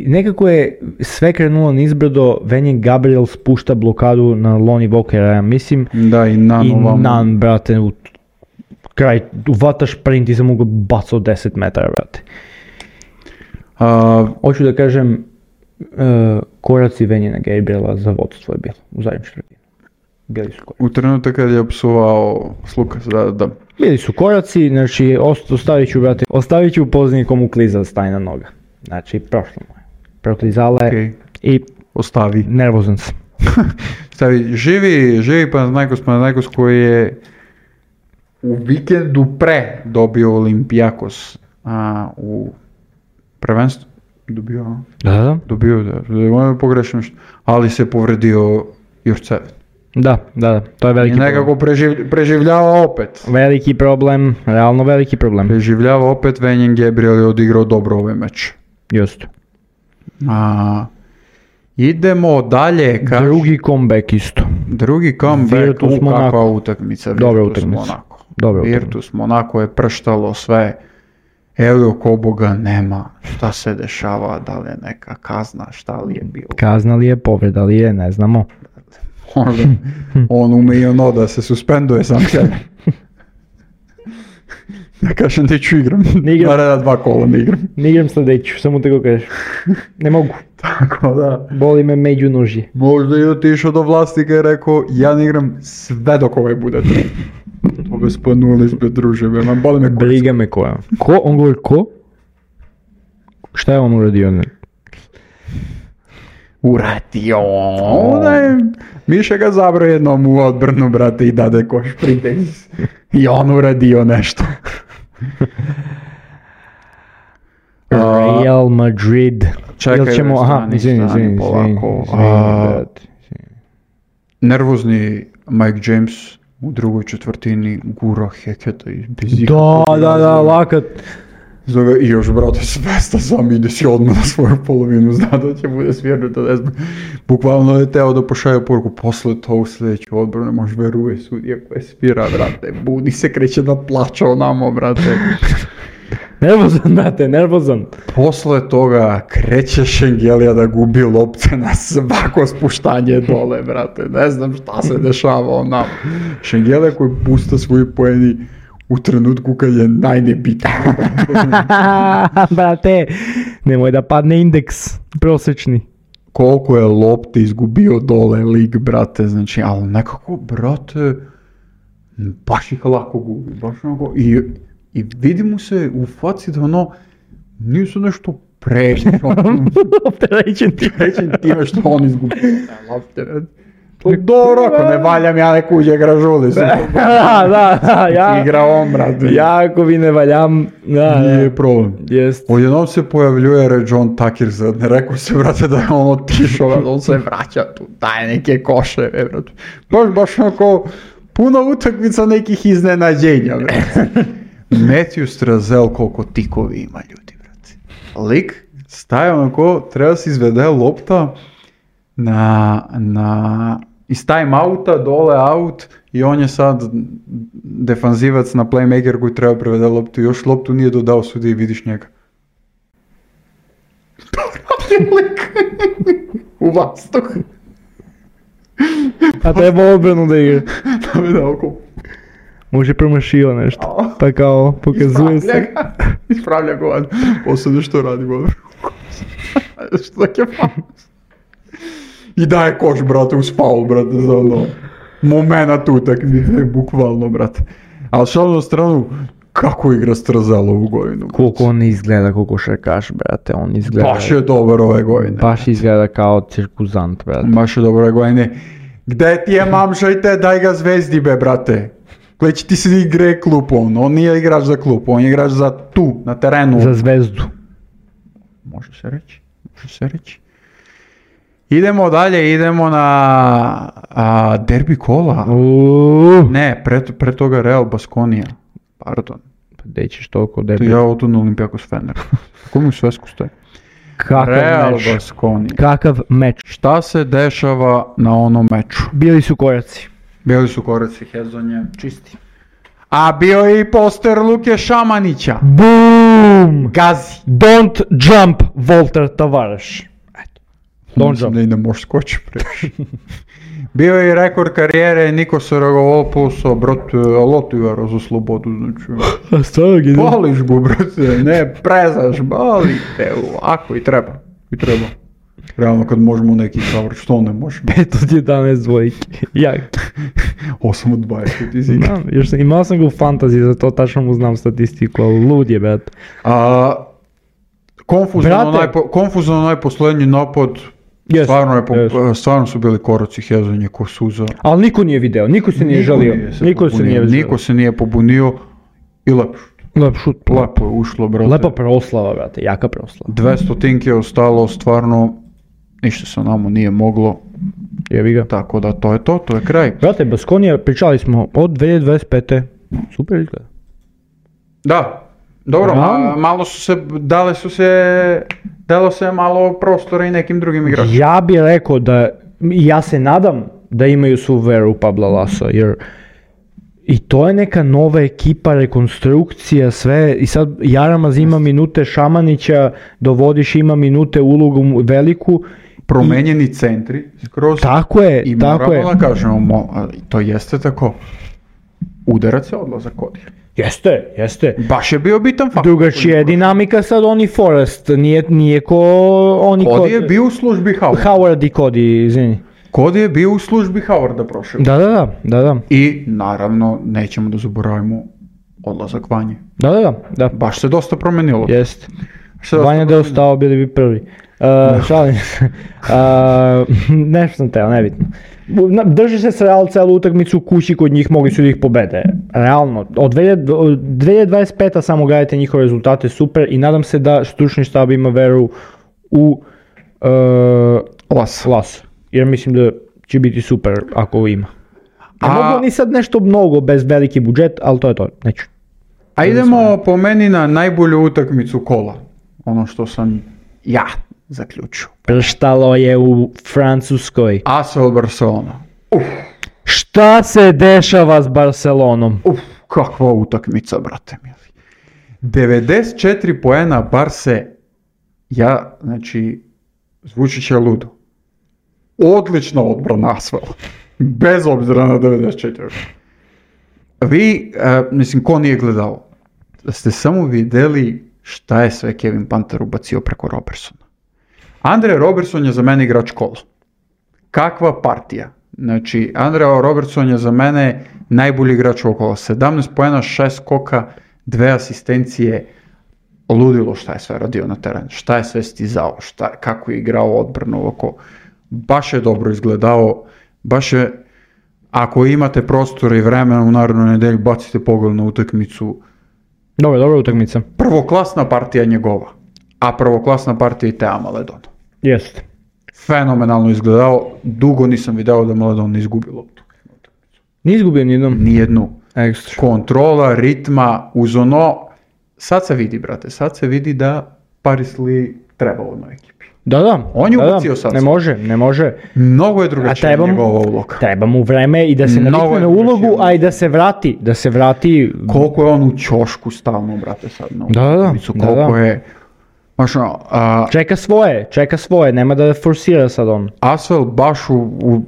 nekako je sve krenulo nizbrdo, Venjen Gabriel spušta blokadu na Lonnie Walkera, ja mislim. Da, i Nan, brate, u kraj, uvata šprint i sam mogu bacao 10 metara, brate. Hoću da kažem, koraci Venjena Gabriela za vodstvo je bilo u zadnjem četvrtini. Bili su koraci. U trenutak kad je opsuvao Slukas, da. Bili su koraci, znači ostavit ću poznanikom u kliza staje na noga. Znači, prošlo mu je. Proklizala je Okay. I Ostavi. nervozan sam. Stavi, živi Panathinaikos koji je u vikendu pre dobio Olympiakos u prvenstvu. Da. Dobio, možda pogrešim nešto, ali se povredio Jurcević. Da, to je veliki I nekako preživljava opet. Veliki problem, realno veliki problem. Preživljava opet, Venjen Gabriel je odigrao dobro ovaj meč. Just. Idemo dalje. Drugi comeback isto. Drugi comeback, Virtus kakva Monaco. utakmica. Dobra Virtus utakmica. Monaco. Dobra utakmica. Virtus Monaco je prštalo sve. Elio Koboga nema. Šta se dešava, da li je neka kazna, šta li je bilo. Kazna li je, povreda li je, ne znamo. Možda on ume i ono da se suspenduje sam sebe. Ja kažem da ću igram. Naredna 2 kola ne igram. Ne igram sljedeću, samo tako kažeš. Ne mogu. Tako da. Boli me među nožje. Možda je otišao do vlasnika i rekao ja ne igram sve dok ovaj bude treba. To bez panuli, bez druže, boli me kurac. Briga me koja. Ko? On govori ko? Šta je on uradio? Uradio. Miša ga zabrao jednom u odbrnu, brate, i dade koš pritenis. I on uradio nešto. Real Madrid. Čekaj, izvini, polako. Nervozni Mike James u drugoj četvrtini gura Heketa i bez ikakvog Da, lakat. Zove, i još, brate, svesta sam ide si odmah na svoju polovinu, zna da će bude svjernuto, ne znam. Bukvalno je teo da pošalje poruku, posle to u sljedeću odbranu, ne može veruje sudija koje spira, brate, budi se, kreće da plaća onamo, brate. Nervozan. Posle toga kreće Šengelija da gubi lopte na svako spuštanje dole, brate, ne znam šta se dešava onamo. Šengelija koji pusta svoji poeni u trenutku kad je najnebitniji. Brate, nemoj da padne indeks prosječni. Koliko je lopte izgubio dole lig, brate, znači, ali nekako, brate, baš ih lako gubi, baš onako, i vidi mu se u faci da ono, nisu nešto opterećen time što on izgubio lopte. Dobro, ako ne valjam ja neku uđe gražuli. Da, igra on, brate. Ja ako vi ne valjam, nije problem. Jest. Odjednom se pojavljuje John Tucker, ne rekao se, brate, da je on otišao, on se vraća tu, daje neke koševe, brate. Baš onako, puno utakmica nekih iznenađenja, brate. Matthew Strazel, koliko tikovi ima ljudi, brate. Lik staje onako, treba se izvede lopta iz time-outa, dole out i on je sad defanzivac na playmaker koji treba prevede loptu. Još loptu nije dodao sudi i vidiš njega. lik u vazduh. A treba obranu da igra. Da oko Može promašio nešto. Pa kao pokazuje se. Ispravlja ga van. Posledno što radi go. Što tak je faus. I daje koš, brate, uz faul, brate, za ono. Momenat utakmice, bukvalno, brate. Ali šalno na stranu, kako igra Strazelo ovu godinu? Koliko on izgleda kao košarkaš, brate, on izgleda... Baš je dobar ove godine. Baš izgleda kao cirkuzant, brate. Baš je dobar ove godine. Gde ti je mamšajte, daj ga Zvezdi, be, brate. Gle će ti se igre klupu, on nije igrač za klupu, on je igrač za tu, na terenu. Za Zvezdu. Može se reći. Idemo dalje, idemo na derbi kola. Ne, pre toga Real Baskonija. Pardon. Pa gdje ćeš toliko derbi? Ja odu na Olimpijakos Fener. Kako mi u svesku stoje? Kakav meč? Baskonija. Kakav meč? Šta se dešava na onom meču? Bili su koraci. Hezonje. Čisti. A bio je i poster Luke Šamanića. Boom! Gazi. Don't jump, Volter Tavares. Don't Mislim jump. da i ne možeš skoči previše. Bio je i rekord karijere Nikos Rogopoulos, brate, lotu igara za slobodu, znači. A stvarno gdje? Boliš go, brate, ne prezaš, boli te, ako i treba. Realno kad možemo neki savrš, što ne možemo? 5 od 11 dvojke. Jak. 8 od 20 izina. Znam, još imao sam ga u fantaziji, zato tačno mu znam statistiku, ali lud je, brate. Konfuzno najposlednji napad, Yes. stvarno su bili koraci Hezonje ko suza. Ali niko nije video, niko se nije žalio. Niko se nije pobunio i lepo šut. Lepo je ušlo, brate. Lepa proslava, brate, jaka proslava. 200 tinke je ostalo, stvarno ništa se nama nije moglo. Jebi ga. Tako da to je kraj. Brate, Baskonija, pričali smo od 2025. Super izgleda. Da, dobro, malo su se, dalo se malo prostora i nekim drugim igračima. Ja bih rekao da, ja se nadam da imaju svu veru u Pabla Lasa, jer i to je neka nova ekipa, rekonstrukcija, sve, i sad Jaramaz ima minute, Šamanića dovodiš, ima minute, ulogu veliku. Promenjeni centri skroz. Tako je, i tako je. I moramo da kažemo, to jeste tako, udarac je odlazak Kodija. Jeste. Baš je bio bitan faktor. Drugačija je dinamika sad oni Forrest, nije ko oni Cody je bio u službi Howard i Cody, izvini. Cody je bio u službi Howarda prošle. Da. I naravno nećemo da zaboravimo odlazak Vanje. Da. Baš se dosta promenilo. Jest. Vanja da je ostao, bili bi prvi. Šalim se. Nešto sam teo, nebitno. Drži se s Real celu utakmicu kući kod njih, mogli su da ih pobede. Realno, od 2025. samo gledajte njihove rezultate, super, i nadam se da stručni štab ima veru u Las. Jer mislim da će biti super ako ima. Ne mogu ni sad nešto mnogo bez veliki budžet, ali to je to, neću. A idemo po meni na najbolju utakmicu kola. Ono što sam ja zaključio. Prštalo je u Francuskoj. ASL Barcelona. Šta se dešava s Barcelonom? Kakva utakmica, brate mili. 94 poena Barse, znači, zvuči će ludo. Odlična odbrana ASL. Bez obzira na 94. Vi, ko nije gledao, ste samo vidjeli šta je sve Kevin Panter ubacio preko Robertsona. Andre Robertson je za mene igrač kola. Kakva partija? Znači, Andre Robertson je za mene najbolji igrač ovog kola. 17 poena, 6 skoka, 2 asistencije. Ludilo šta je sve radio na terenu, šta je sve stizao, kako je igrao odbranu ovako. Baš je dobro izgledao, baš je, ako imate prostora i vremena u narednoj nedelji, bacite pogled na utakmicu. Dobra utakmica. Prvoklasna partija njegova, a prvoklasna partija i Tea Maledona. Jeste. Fenomenalno izgledao, dugo nisam video da Maledon ne izgubi loptu. Nije izgubio nijednu. Ekstra. Kontrola, ritma, uz ono, sad se vidi, brate, da Paris Lee treba u ovoj ekipi. Da. On je ubacio sad. Ne može. Mnogo je drugačija njegova uloga. Treba mu vreme i da se navikne na ulogu, a i da se vrati. Koliko je on u ćošku stalno, brate, sad na Da. Koliko je Baš ono, Čeka svoje, nema da forsira sad on. Asvel baš u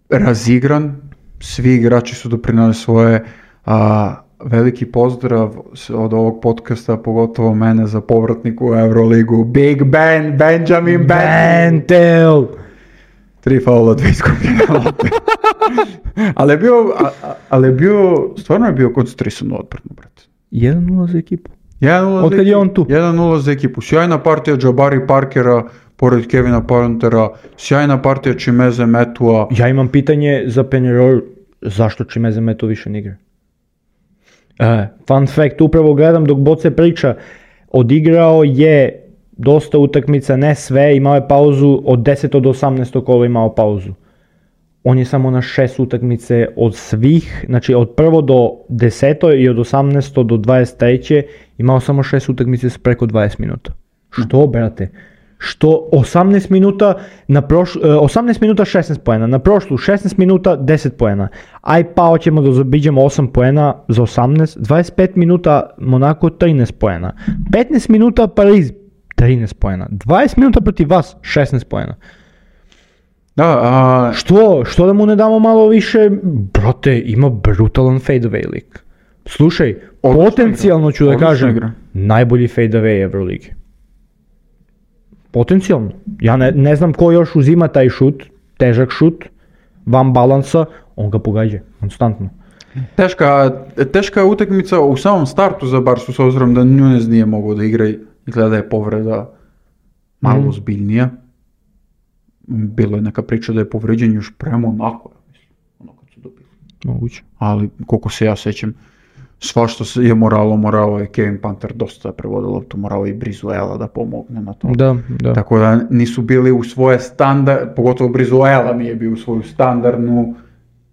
razigran, svi igrači su doprinali svoje, veliki pozdrav od ovog podcasta, pogotovo mene za povratnik u Euroligu, Big Ben, Benjamin Bentel! 3 faula, 2 izgubljene lopte. ali je bio, stvarno je bio koncentrisan u odbranu, brate. 1-0 za ekipu. 1-0 Od kad je on tu? 1-0 za ekipu. Sjajna partija Jabari Parkera, pored Kevina Pantera, sjajna partija Chimeze Metua. Ja imam pitanje za Penarol, zašto Chimeze Metua više ne igra? Fun fact, upravo gledam dok Boce priča, odigrao je dosta utakmica, ne sve, imao je pauzu od 10. do 18. kola imao pauzu. On je samo na 6 utakmice od svih, znači od 1. do 10. i od 18. do 23. imao samo 6 utakmice s preko 20 minuta. Što, brate? Što 18 minuta 16 poena, na prošlu 16 minuta 10 poena. Aj pa hoćemo da zabiđemo 8 poena za 18, 25 minuta Monako 13 poena, 15 minuta Pariz 13 poena, 20 minuta protiv vas 16 poena. Da, Što da mu ne damo malo više? Brate, ima brutalan fadeaway lik. Slušaj, potencijalno ću da kažem, najbolji fadeaway Euroligi. Potencijalno. Ja ne znam ko još uzima taj šut, težak šut, van balansa, on ga pogađa, konstantno. Teška utakmica u samom startu za Barsu, s obzirom da Nunez nije mogao da igra i gleda je povreda malo ozbiljnija. Bilo je neka priča da je povređen još prema onako, ono kad su dobili. Moguće. Ali koliko se ja sećam, svašta je moralo je Kevin Panter dosta prevodio loptu, morao i Brizuela da pomogne na to. Da. Tako da nisu bili u svoje pogotovo Brizuela nije bio u svoju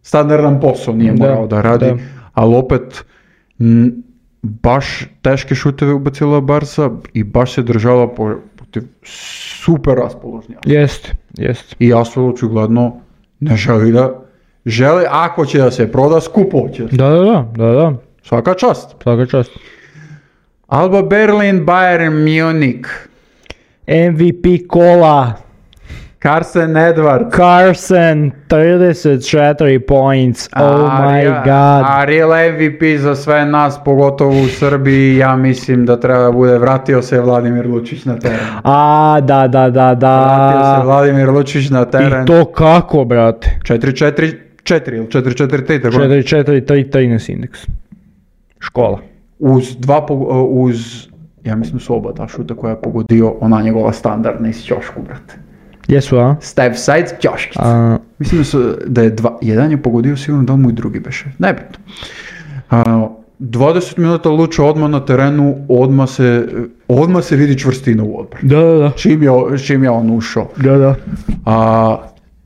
standardan posao nije morao da radi, ali opet baš teške šuteve ubacila Barsa i baš se držala protiv super raspoložnja. Jest. I Asvel očigledno ne želi, ako će da se proda, skupo će. Da. Svaka čast. Alba Berlin, Bayern Munich. MVP kola. Carson Edwards. 34 points. Oh my god. A real MVP za sve nas, pogotovo u Srbiji, ja mislim da treba bude vratio se Vladimir Lučić na teren. Da. Vratio se Vladimir Lučić na teren. I to kako, brate? 4-4-4 ili 4-4-3, tako? 4-4-3 indeks. Škola. Uz, ja mislim su oba ta šuta koja je pogodio, ona njegova standardna iz ćošku, brate. Jesu, a? Step side ćoškica. Mislim da je jedan je pogodio sigurno, da mu i drugi beše. Nebitno. 20 minuta Luča odmah na terenu, odmah se vidi čvrstina u odbrani. Da. Čim je on ušao. Da.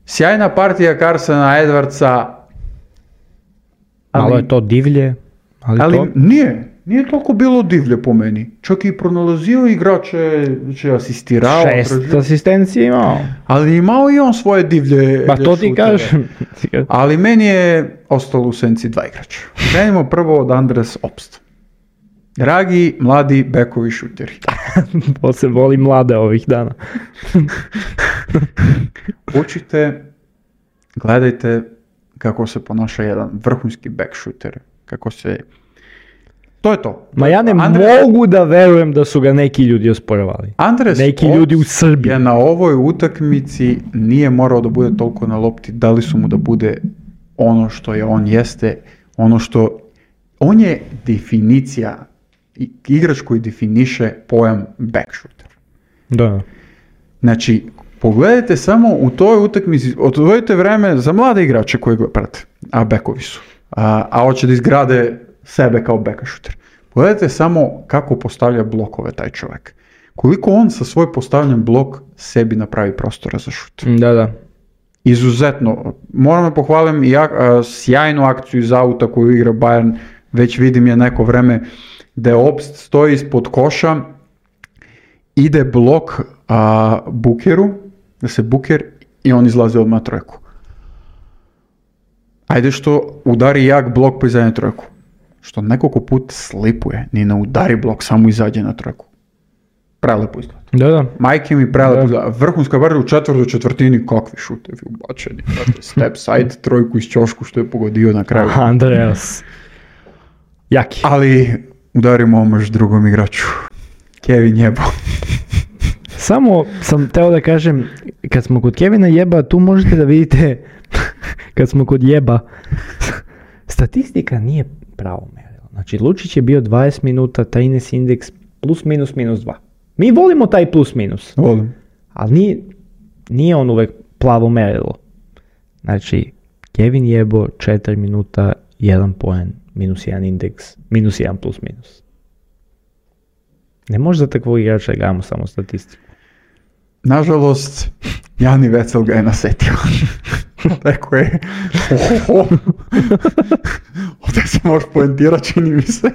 Sjajna partija Carsona Edwardsa. Malo je to divlje. Ali nije toliko bilo divlje po meni. Čak i pronalazio igrače, asistirao. 6 asistencije imao. Ali imao i on svoje divlje. Pa to ti kažem. Ali meni je ostalo u senci 2 igrača. Krenimo prvo od Andres Obst. Dragi, mladi bekovi šuteri. Se voli mlade ovih dana. Učite, gledajte kako se ponaša jedan vrhunski back shooter. To je to. Ma ja ne mogu da verujem da su ga neki ljudi osporavali. Neki ljudi u Srbiji. Na ovoj utakmici nije morao da bude toliko na lopti, dali su mu da bude ono što je on jeste, on je definicija, igrač koji definiše pojam back shooter. Da. Znači, pogledajte samo u toj utakmici, odvojite vreme za mlade igrače koji ga prate, a backovi su, a hoće da izgrade sebe kao back shooter. Pogledajte samo kako postavlja blokove taj čovjek. Koliko on sa svoj postavljen blok sebi napravi prostora za šut. Da. Izuzetno. Moram da pohvalim i sjajnu akciju iz auta koju igra Bayern. Već vidim je neko vreme da Obst stoji ispod koša, ide blok Bukeru, da se Buker i on izlazi odmah na trojku. Ajde što udari jak blok pa izađe na trojku. Što nekoliko puta slipuje, ni ne udari blok, samo izađe na trojku. prelepo izgleda. Da. Majke mi prelepo izgleda. Vrhunska bar u četvrtini, kakvi šutevi ubačeni. Step side, trojku iz ćošku što je pogodio na kraju. Andreas. Jaki. Ali udarimo omaž drugom igraču. Kevin jebo. Samo sam teo da kažem, kad smo kod Kevina jeba, tu možete da vidite, kad smo kod jeba, statistika nije pravo merilo. Znači, Lučić je bio 20 minuta, 13 indeks, plus minus minus 2. Mi volimo taj plus minus. Volim. Ali nije on uvek plavo merilo. Znači, Kevin jebo 4 minuta, 1 poen, minus 1 indeks, minus 1 plus minus. Ne može za takvog igrača da gledamo samo statistiku. Nažalost, Jani Vecel ga je nasetio. Rekao je, ovdje se može poentirati, čini mi se.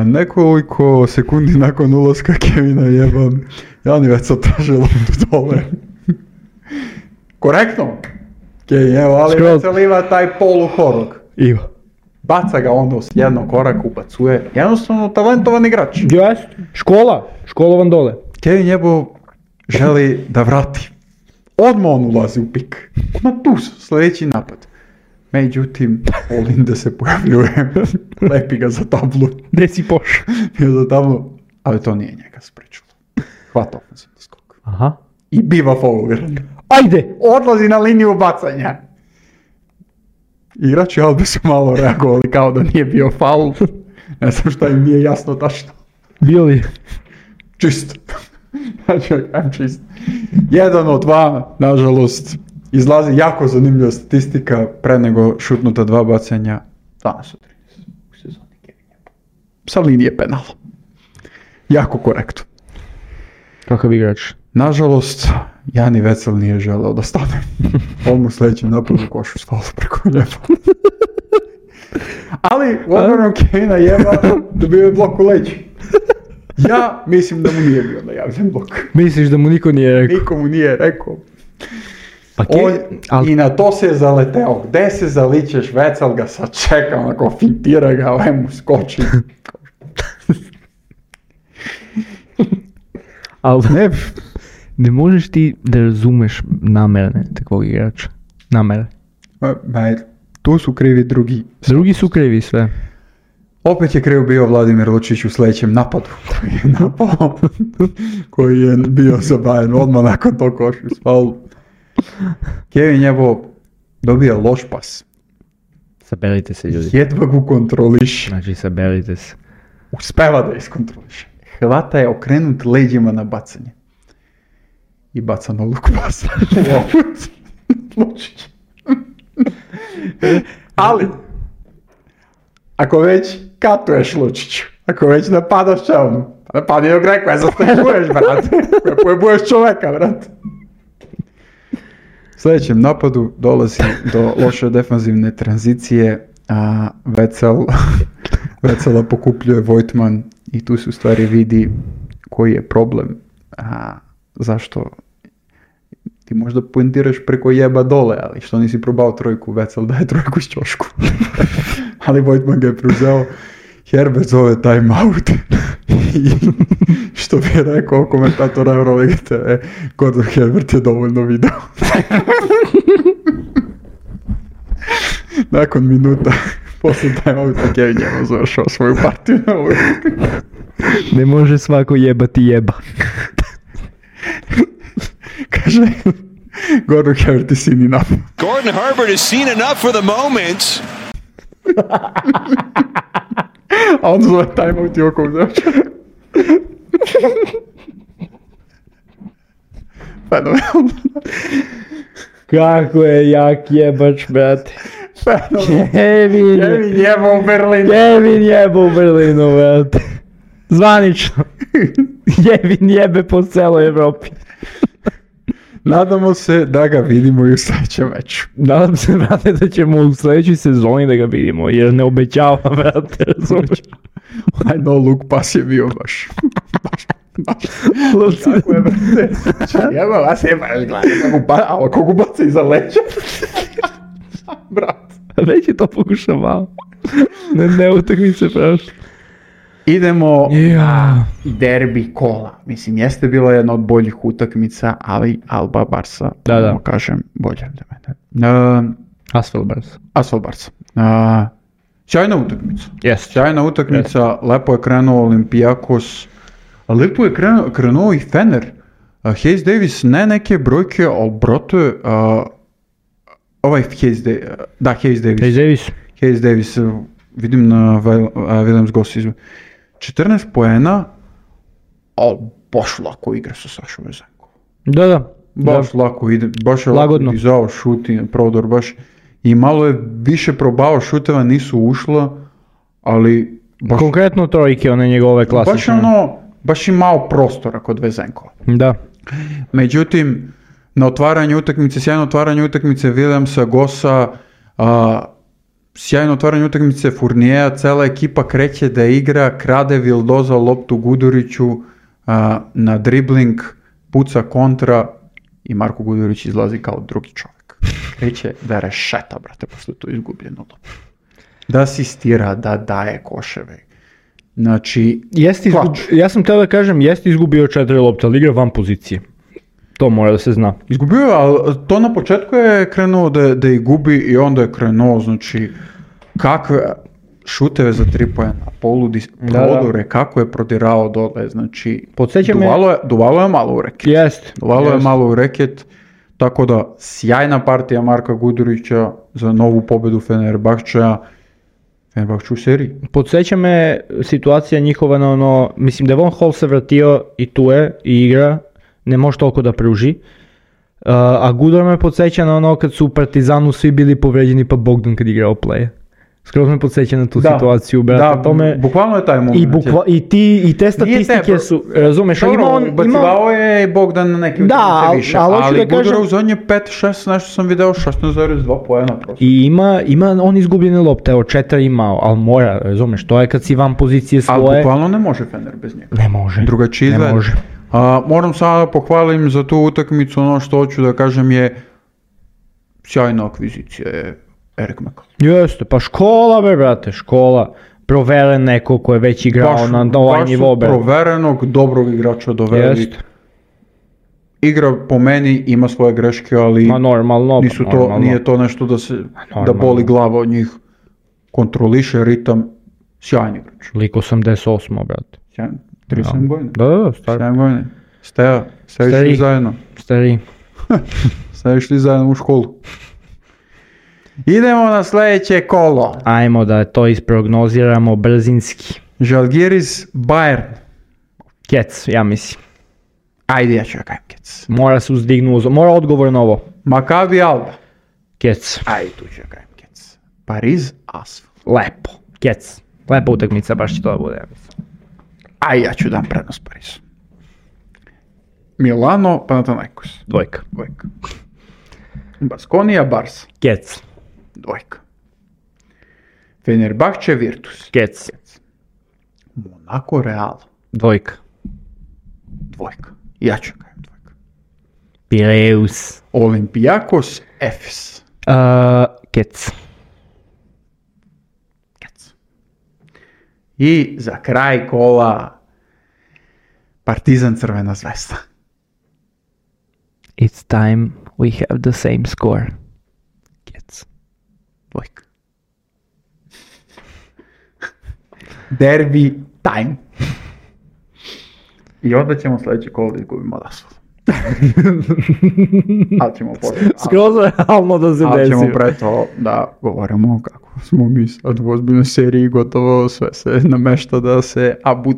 Nekoliko sekundi nakon ulaska Kevina jeba, Jani Vecel traže loptu dole. Korektno. Kevin jeba, ali Vecel ima taj poluhorog. Iva. Baca ga onda s jednog koraka, ubacuje. Jednostavno talentovan igrač. Jeste. Školovan dole. Kevin jebo želi da vrati. Odmah on ulazi u pik. Odmah tu sljedeći napad. Međutim, Olinde se pojavljuje. Lepi ga za tablu. Gde si poš? Za tablu. Ali to nije njega sprečilo. Hvata ofenzivni skok. Aha. I biva fauliran. Ajde! Odlazi na liniju bacanja. Igrači Albe su malo reagovali kao da nije bio faul. Ne znam šta im nije jasno tačno. Bio li? Čist. Znači, čist. 1 od 2, nažalost, izlazi jako zanimljiva statistika pre nego šutnuta 2 bacanja. Danas od 30 u sezoni Kevin jebo. Sa linije penala. Jako korektno. Kakav igrač? Nažalost, Jani Vecel nije želeo da stane. On mu sljedećem napadu košu stalo preko njega. Ali u odbranu Kevina jeba dobio je blok u leđu. Ja mislim da mu nije bio najavljen blok. Misliš da mu niko nije rekao? Nikomu nije rekao. Pa I na to se je zaleteo. Gde se zaličeš, Vecel ga sad čeka, onako fintira ga, ovaj mu skoči. Ali ne možeš ti da razumeš namerne takvog igrača. Namere. Tu su krivi drugi. Drugi su krivi sve. Opet je kriv bio Vladimir Lučić u sljedećem napadu. Koji je napao. Koji je bio zabajen odmah nakon tog košu s faul. Kevin jebo dobije loš pas. Saberite se, ljudi. Jedva ga kontroliš. Znači, saberite se. Uspeva da iskontroliš. Hvata je okrenut leđima na bacanje. I baca na luk pasa. Lučić. Ali, ako već katuješ Lučiću, ako već napadaš čelnu, napadi joj Greko, ja zastaješ, brate. Pojebuješ čoveka, brate. U sljedećem napadu dolazi do loše defanzivne tranzicije, a Vecela pokupljuje Vojtman i tu se u stvari vidi koji je problem. Zašto ti možda poentiraš preko jeba dole, ali što nisi probao trojku, Vecel daje trojku s ćošku. Ali Vojtman ga je preuzeo, Herbert zove time out. I što bi rekao komentator Eurolige TV, Gordon Herbert je dovoljno video. Nakon minuta poslije time outa Kevin je završao svoju partiju na ovoj. Ne može svako jebati jeba. Kaže, Gordon Herbert is seen enough. Gordon Herbert has seen enough for the moment. A on zove time out i oko uzeo. Fenomenalno. Kako je jak jebač, brate. Kevin jebo u Berlinu. Kevin jebo u Berlinu, brate. Zvanično. Kevin jebe po celoj Evropi. Nadamo se da ga vidimo i u sljedećem meču. Nadam se, brate, da ćemo u sljedećoj sezoni da ga vidimo, jer ne obećava, brate, razumiješ. Onaj no look pas je bio baš. Lovci. Tako je, brate. Jeba, vas je baš ako ga baca iza leća. Brat. Već je to pokušavao. Ne utakmi se prošlo. Idemo na derbi kola. Mislim, jeste bila jedna od boljih utakmica, ali Alba Barsa, Da. kažem, bolje od mene. Asfel Barca. Asfel Barsa. Sjajna utakmica. Jest. Sjajna utakmica, lepo je krenuo Olympiakos, a lepo je krenuo i Fener. Hayes Davis, ne neke brojke, ali brate, Hayes Davis. Hayes Davis, vidim na Williams Goss 14 poena, ali baš lako igra sa Sašom Vezenkom. Da. Baš lako ide, baš je Lagodno. lako izao šut i prodor, baš. I malo je više probao šuteva, nisu ušla, ali baš, Konkretno trojke, one njegove klasične. baš imao prostora kod Vezenkova. Da. Međutim, na sjajno otvaranje utakmice Williamsa, Gossa, sjajno otvaranje utakmice Fourniera, cela ekipa kreće da igra, krade Vildoza loptu Guduriću, na dribling, puca kontra i Marko Gudurić izlazi kao drugi čovjek. Kreće da rešeta, brate, posle to izgubljeno loptu. Da asistira, da daje koševe. Znači, Ja sam htio da kažem, jeste izgubio 4 lopte, ali igra van pozicije. To mora da se zna. izgubio je, ali to na početku je krenuo da ih gubi i onda je krenuo, znači, kakve šuteve za 3 poena, prodore, kako je prodirao dole, znači, duvalo je malo u reket. Jest. Duvalo je malo u reket, tako da sjajna partija Marka Gudurića za novu pobedu Fenerbahčeja u seriji. Podsjeća me situacija njihova na mislim da je Von Hall se vratio i tu je i igra, ne može toliko da pruži. A Gudor me podsjeća na kad su u Partizanu svi bili povređeni pa Bogdan kad igrao play. Skroz me podsjeća na tu situaciju, brate. Bukvalno je taj moment. I te statistike su, razumeš, Bacivao je Bogdan na neki utakmice više, ali Gudora u zadnje 5-6, nešto sam video, 16,2 poena prosto. I ima on izgubljene lopte, evo 4 imao, ali mora, razumeš, to je kad si van pozicije svoje. Ali bukvalno ne može Fener bez njega. Ne može. Drugačije izgleda. Ne može. Moram sada da pohvalim za tu utakmicu, ono što hoću da kažem je sjajna akvizicija je Erik Mekal. Jeste, pa škola brate, škola. Proveren neko ko je već igrao na ovaj nivo. Baš proverenog, dobrog igrača doveli. Jeste. Igra po meni ima svoje greške, ali normalno. Nije to nešto da boli glava od njih. Kontroliše ritam, sjajan igrač. Lik 88, brate. Sjajan, 37 godina. Da, stari. 7 godina. Steja, sve išli zajedno. Stari. Sve išli zajedno u školu. Idemo na sljedeće kolo. Ajmo da to isprognoziramo brzinski. Žalgiris Bayern. Kec, ja mislim. Ajde, ja ću ja kajem Kec. Mora se uzdignu, mora odgovor na ovo. Maccabi Alba. Kec. Ajde, tu ću ja kajem Kec. Pariz Asfel. Lepo. Kec. Lepa utakmica, baš će to da bude. Aj, ja ću dam prednost Parizu. Milano Panathinaikos. Dvojka. Baskonija Barsa. Kec. Dvojka. Fenerbahče Virtus. Kec. Monaco Real. Dvojka. Ja ću kajem dvojka. Pireus. Olympiakos Efes. Kec. I za kraj kola Partizan Crvena Zvezda. It's time we have the same score. Kec. Dvojka. Derby time. I onda ćemo sljedeće kolo da izgubimo od Asfala. Ali ćemo skroz realno da se desi. Ali ćemo pre to da govorimo kako smo mi sad u ozbiljnoj seriji, gotovo sve se namešta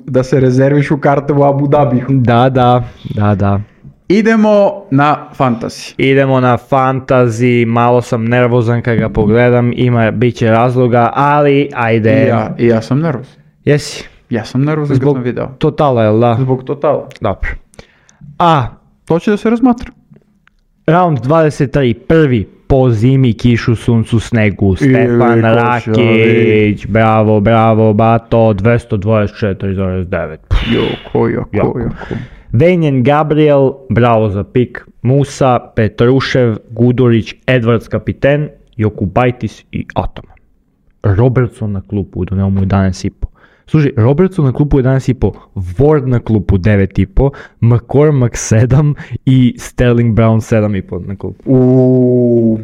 da se rezervišu karte u Abu Dhabiju. Da. Idemo na fantasy. Malo sam nervozan kad ga pogledam, bit će razloga, ali ajde. I ja sam nervozan. Jesi? Ja sam nervozan kad sam video. Totala, jel da? Zbog totala. Dobro. To će da se razmatra. Round 23, prvi po zimi, kišu, suncu, snegu, Stefan Rakić, bravo, bato, 224,9. Jako. Venjen Gabriel, bravo za pik, Musa, Petrušev, Gudurić, Edwards kapiten, Jokubaitis i Ataman. Robertson na klupu, doneo mu 11,5. Slušaj, Robertson na klupu 11,5, Ward na klupu 9,5, McCormack 7 i Sterling Brown 7,5 na klupu.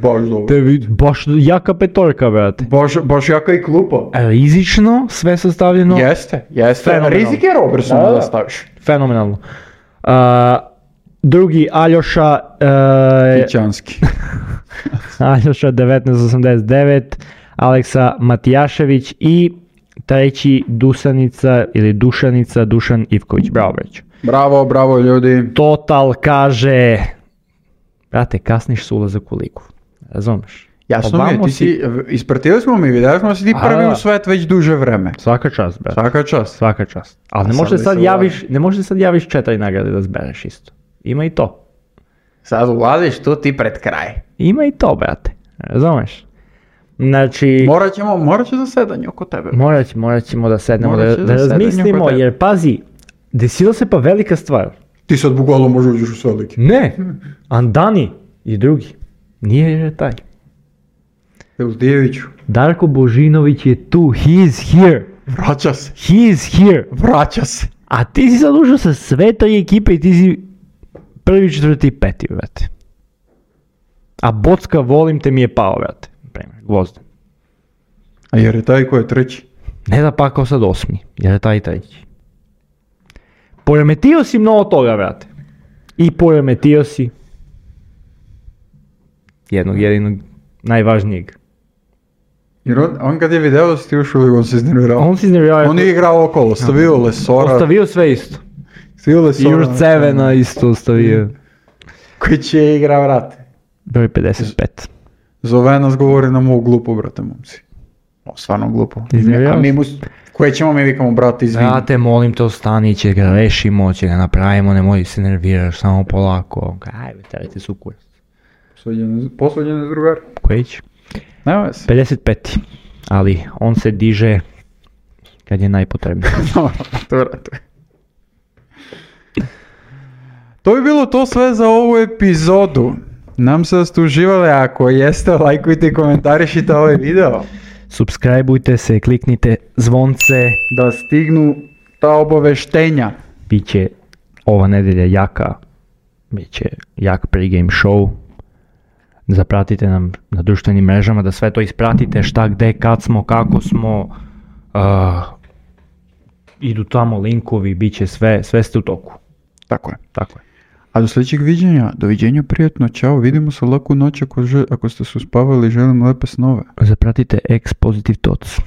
Baš dobro. Baš jaka petorka, brate. Baš jaka i klupa. Rizično, sve sastavljeno. Jeste. Fenomenalno. Rizik je Robertson da staviš. Fenomenalno. Drugi, Aljoša... Ićanski. Aljoša 1989, Aleksa Matijašević i treći Dušan Ivković. Bravo, breću. Bravo ljudi. Total kaže, brate, kasniš s ulazak u ligu. Razumeš? Jasno mi je, ti si, ispratili smo mi, vidjeli smo da si ti prvi u svet već duže vreme. Svaka čast, brate. Svaka čast. Ali ne možeš sad javiš 4 nagrade da zbereš isto. Ima i to. Sad ulaziš tu ti pred kraj. Ima i to, brate. Razumeš? Znači... Morat će zasedanje oko tebe. Morat ćemo da sednemo, da razmislimo, jer pazi, desila se pa velika stvar. Ti sad bukvalno možeš uđeš u sve ligi. Ne, Andani i drugi. Nije taj. Eldijeviću. Darko Božinović je tu, he is here. Vraća se. He is here. Vraća se. A ti si sad ušao sa sve tri ekipe i ti si prvi, četvrti i peti, brate. A Bocka, volim te, mi je pao, brate. Gvozden. A jer je taj ko je treći? Ne da pakao sad 8. jer je taj treći. Poremetio si mnogo toga, brate. I poremetio si jednog jedinog najvažnijeg. Jer on kad je video da si ti ušao, on se iznervirao. On je igrao okolo, stavio Lesora. Ostavio sve isto. Stavio Lesora. Jurcevena isto ostavio. Koji će igra, brate? Broj 55. Zove nas, govori nam ovo glupo, brate, momci. Stvarno glupo. A mi koje ćemo mi vikamo, brate, izvini. Brate, molim te, ostani, će ga rešimo, će ga napravimo, nemoj se nerviraš, samo polako. Ajde, terajte su kurac. Posvađene s drugar. Koji će? Nema se. 55. Ali on se diže kad je najpotrebnije. To bi bilo to sve za ovu epizodu. Nam se da ste uživali, ako jeste, lajkujte i komentarišite ovaj video. Subscribeujte se, kliknite zvonce da stignu ta obaveštenja. Biće ova nedelja jaka, biće jak pregame show. Zapratite nam na društvenim mrežama, da sve to ispratite, šta, gde, kad smo, kako smo. Idu tamo linkovi, biće sve ste u toku. Tako je. A do sljedećeg viđenja, doviđenja, prijatno, čao, vidimo se, laku noć ako ste se uspavali, želim lepe snove. Zapratite X Positive Thoughts.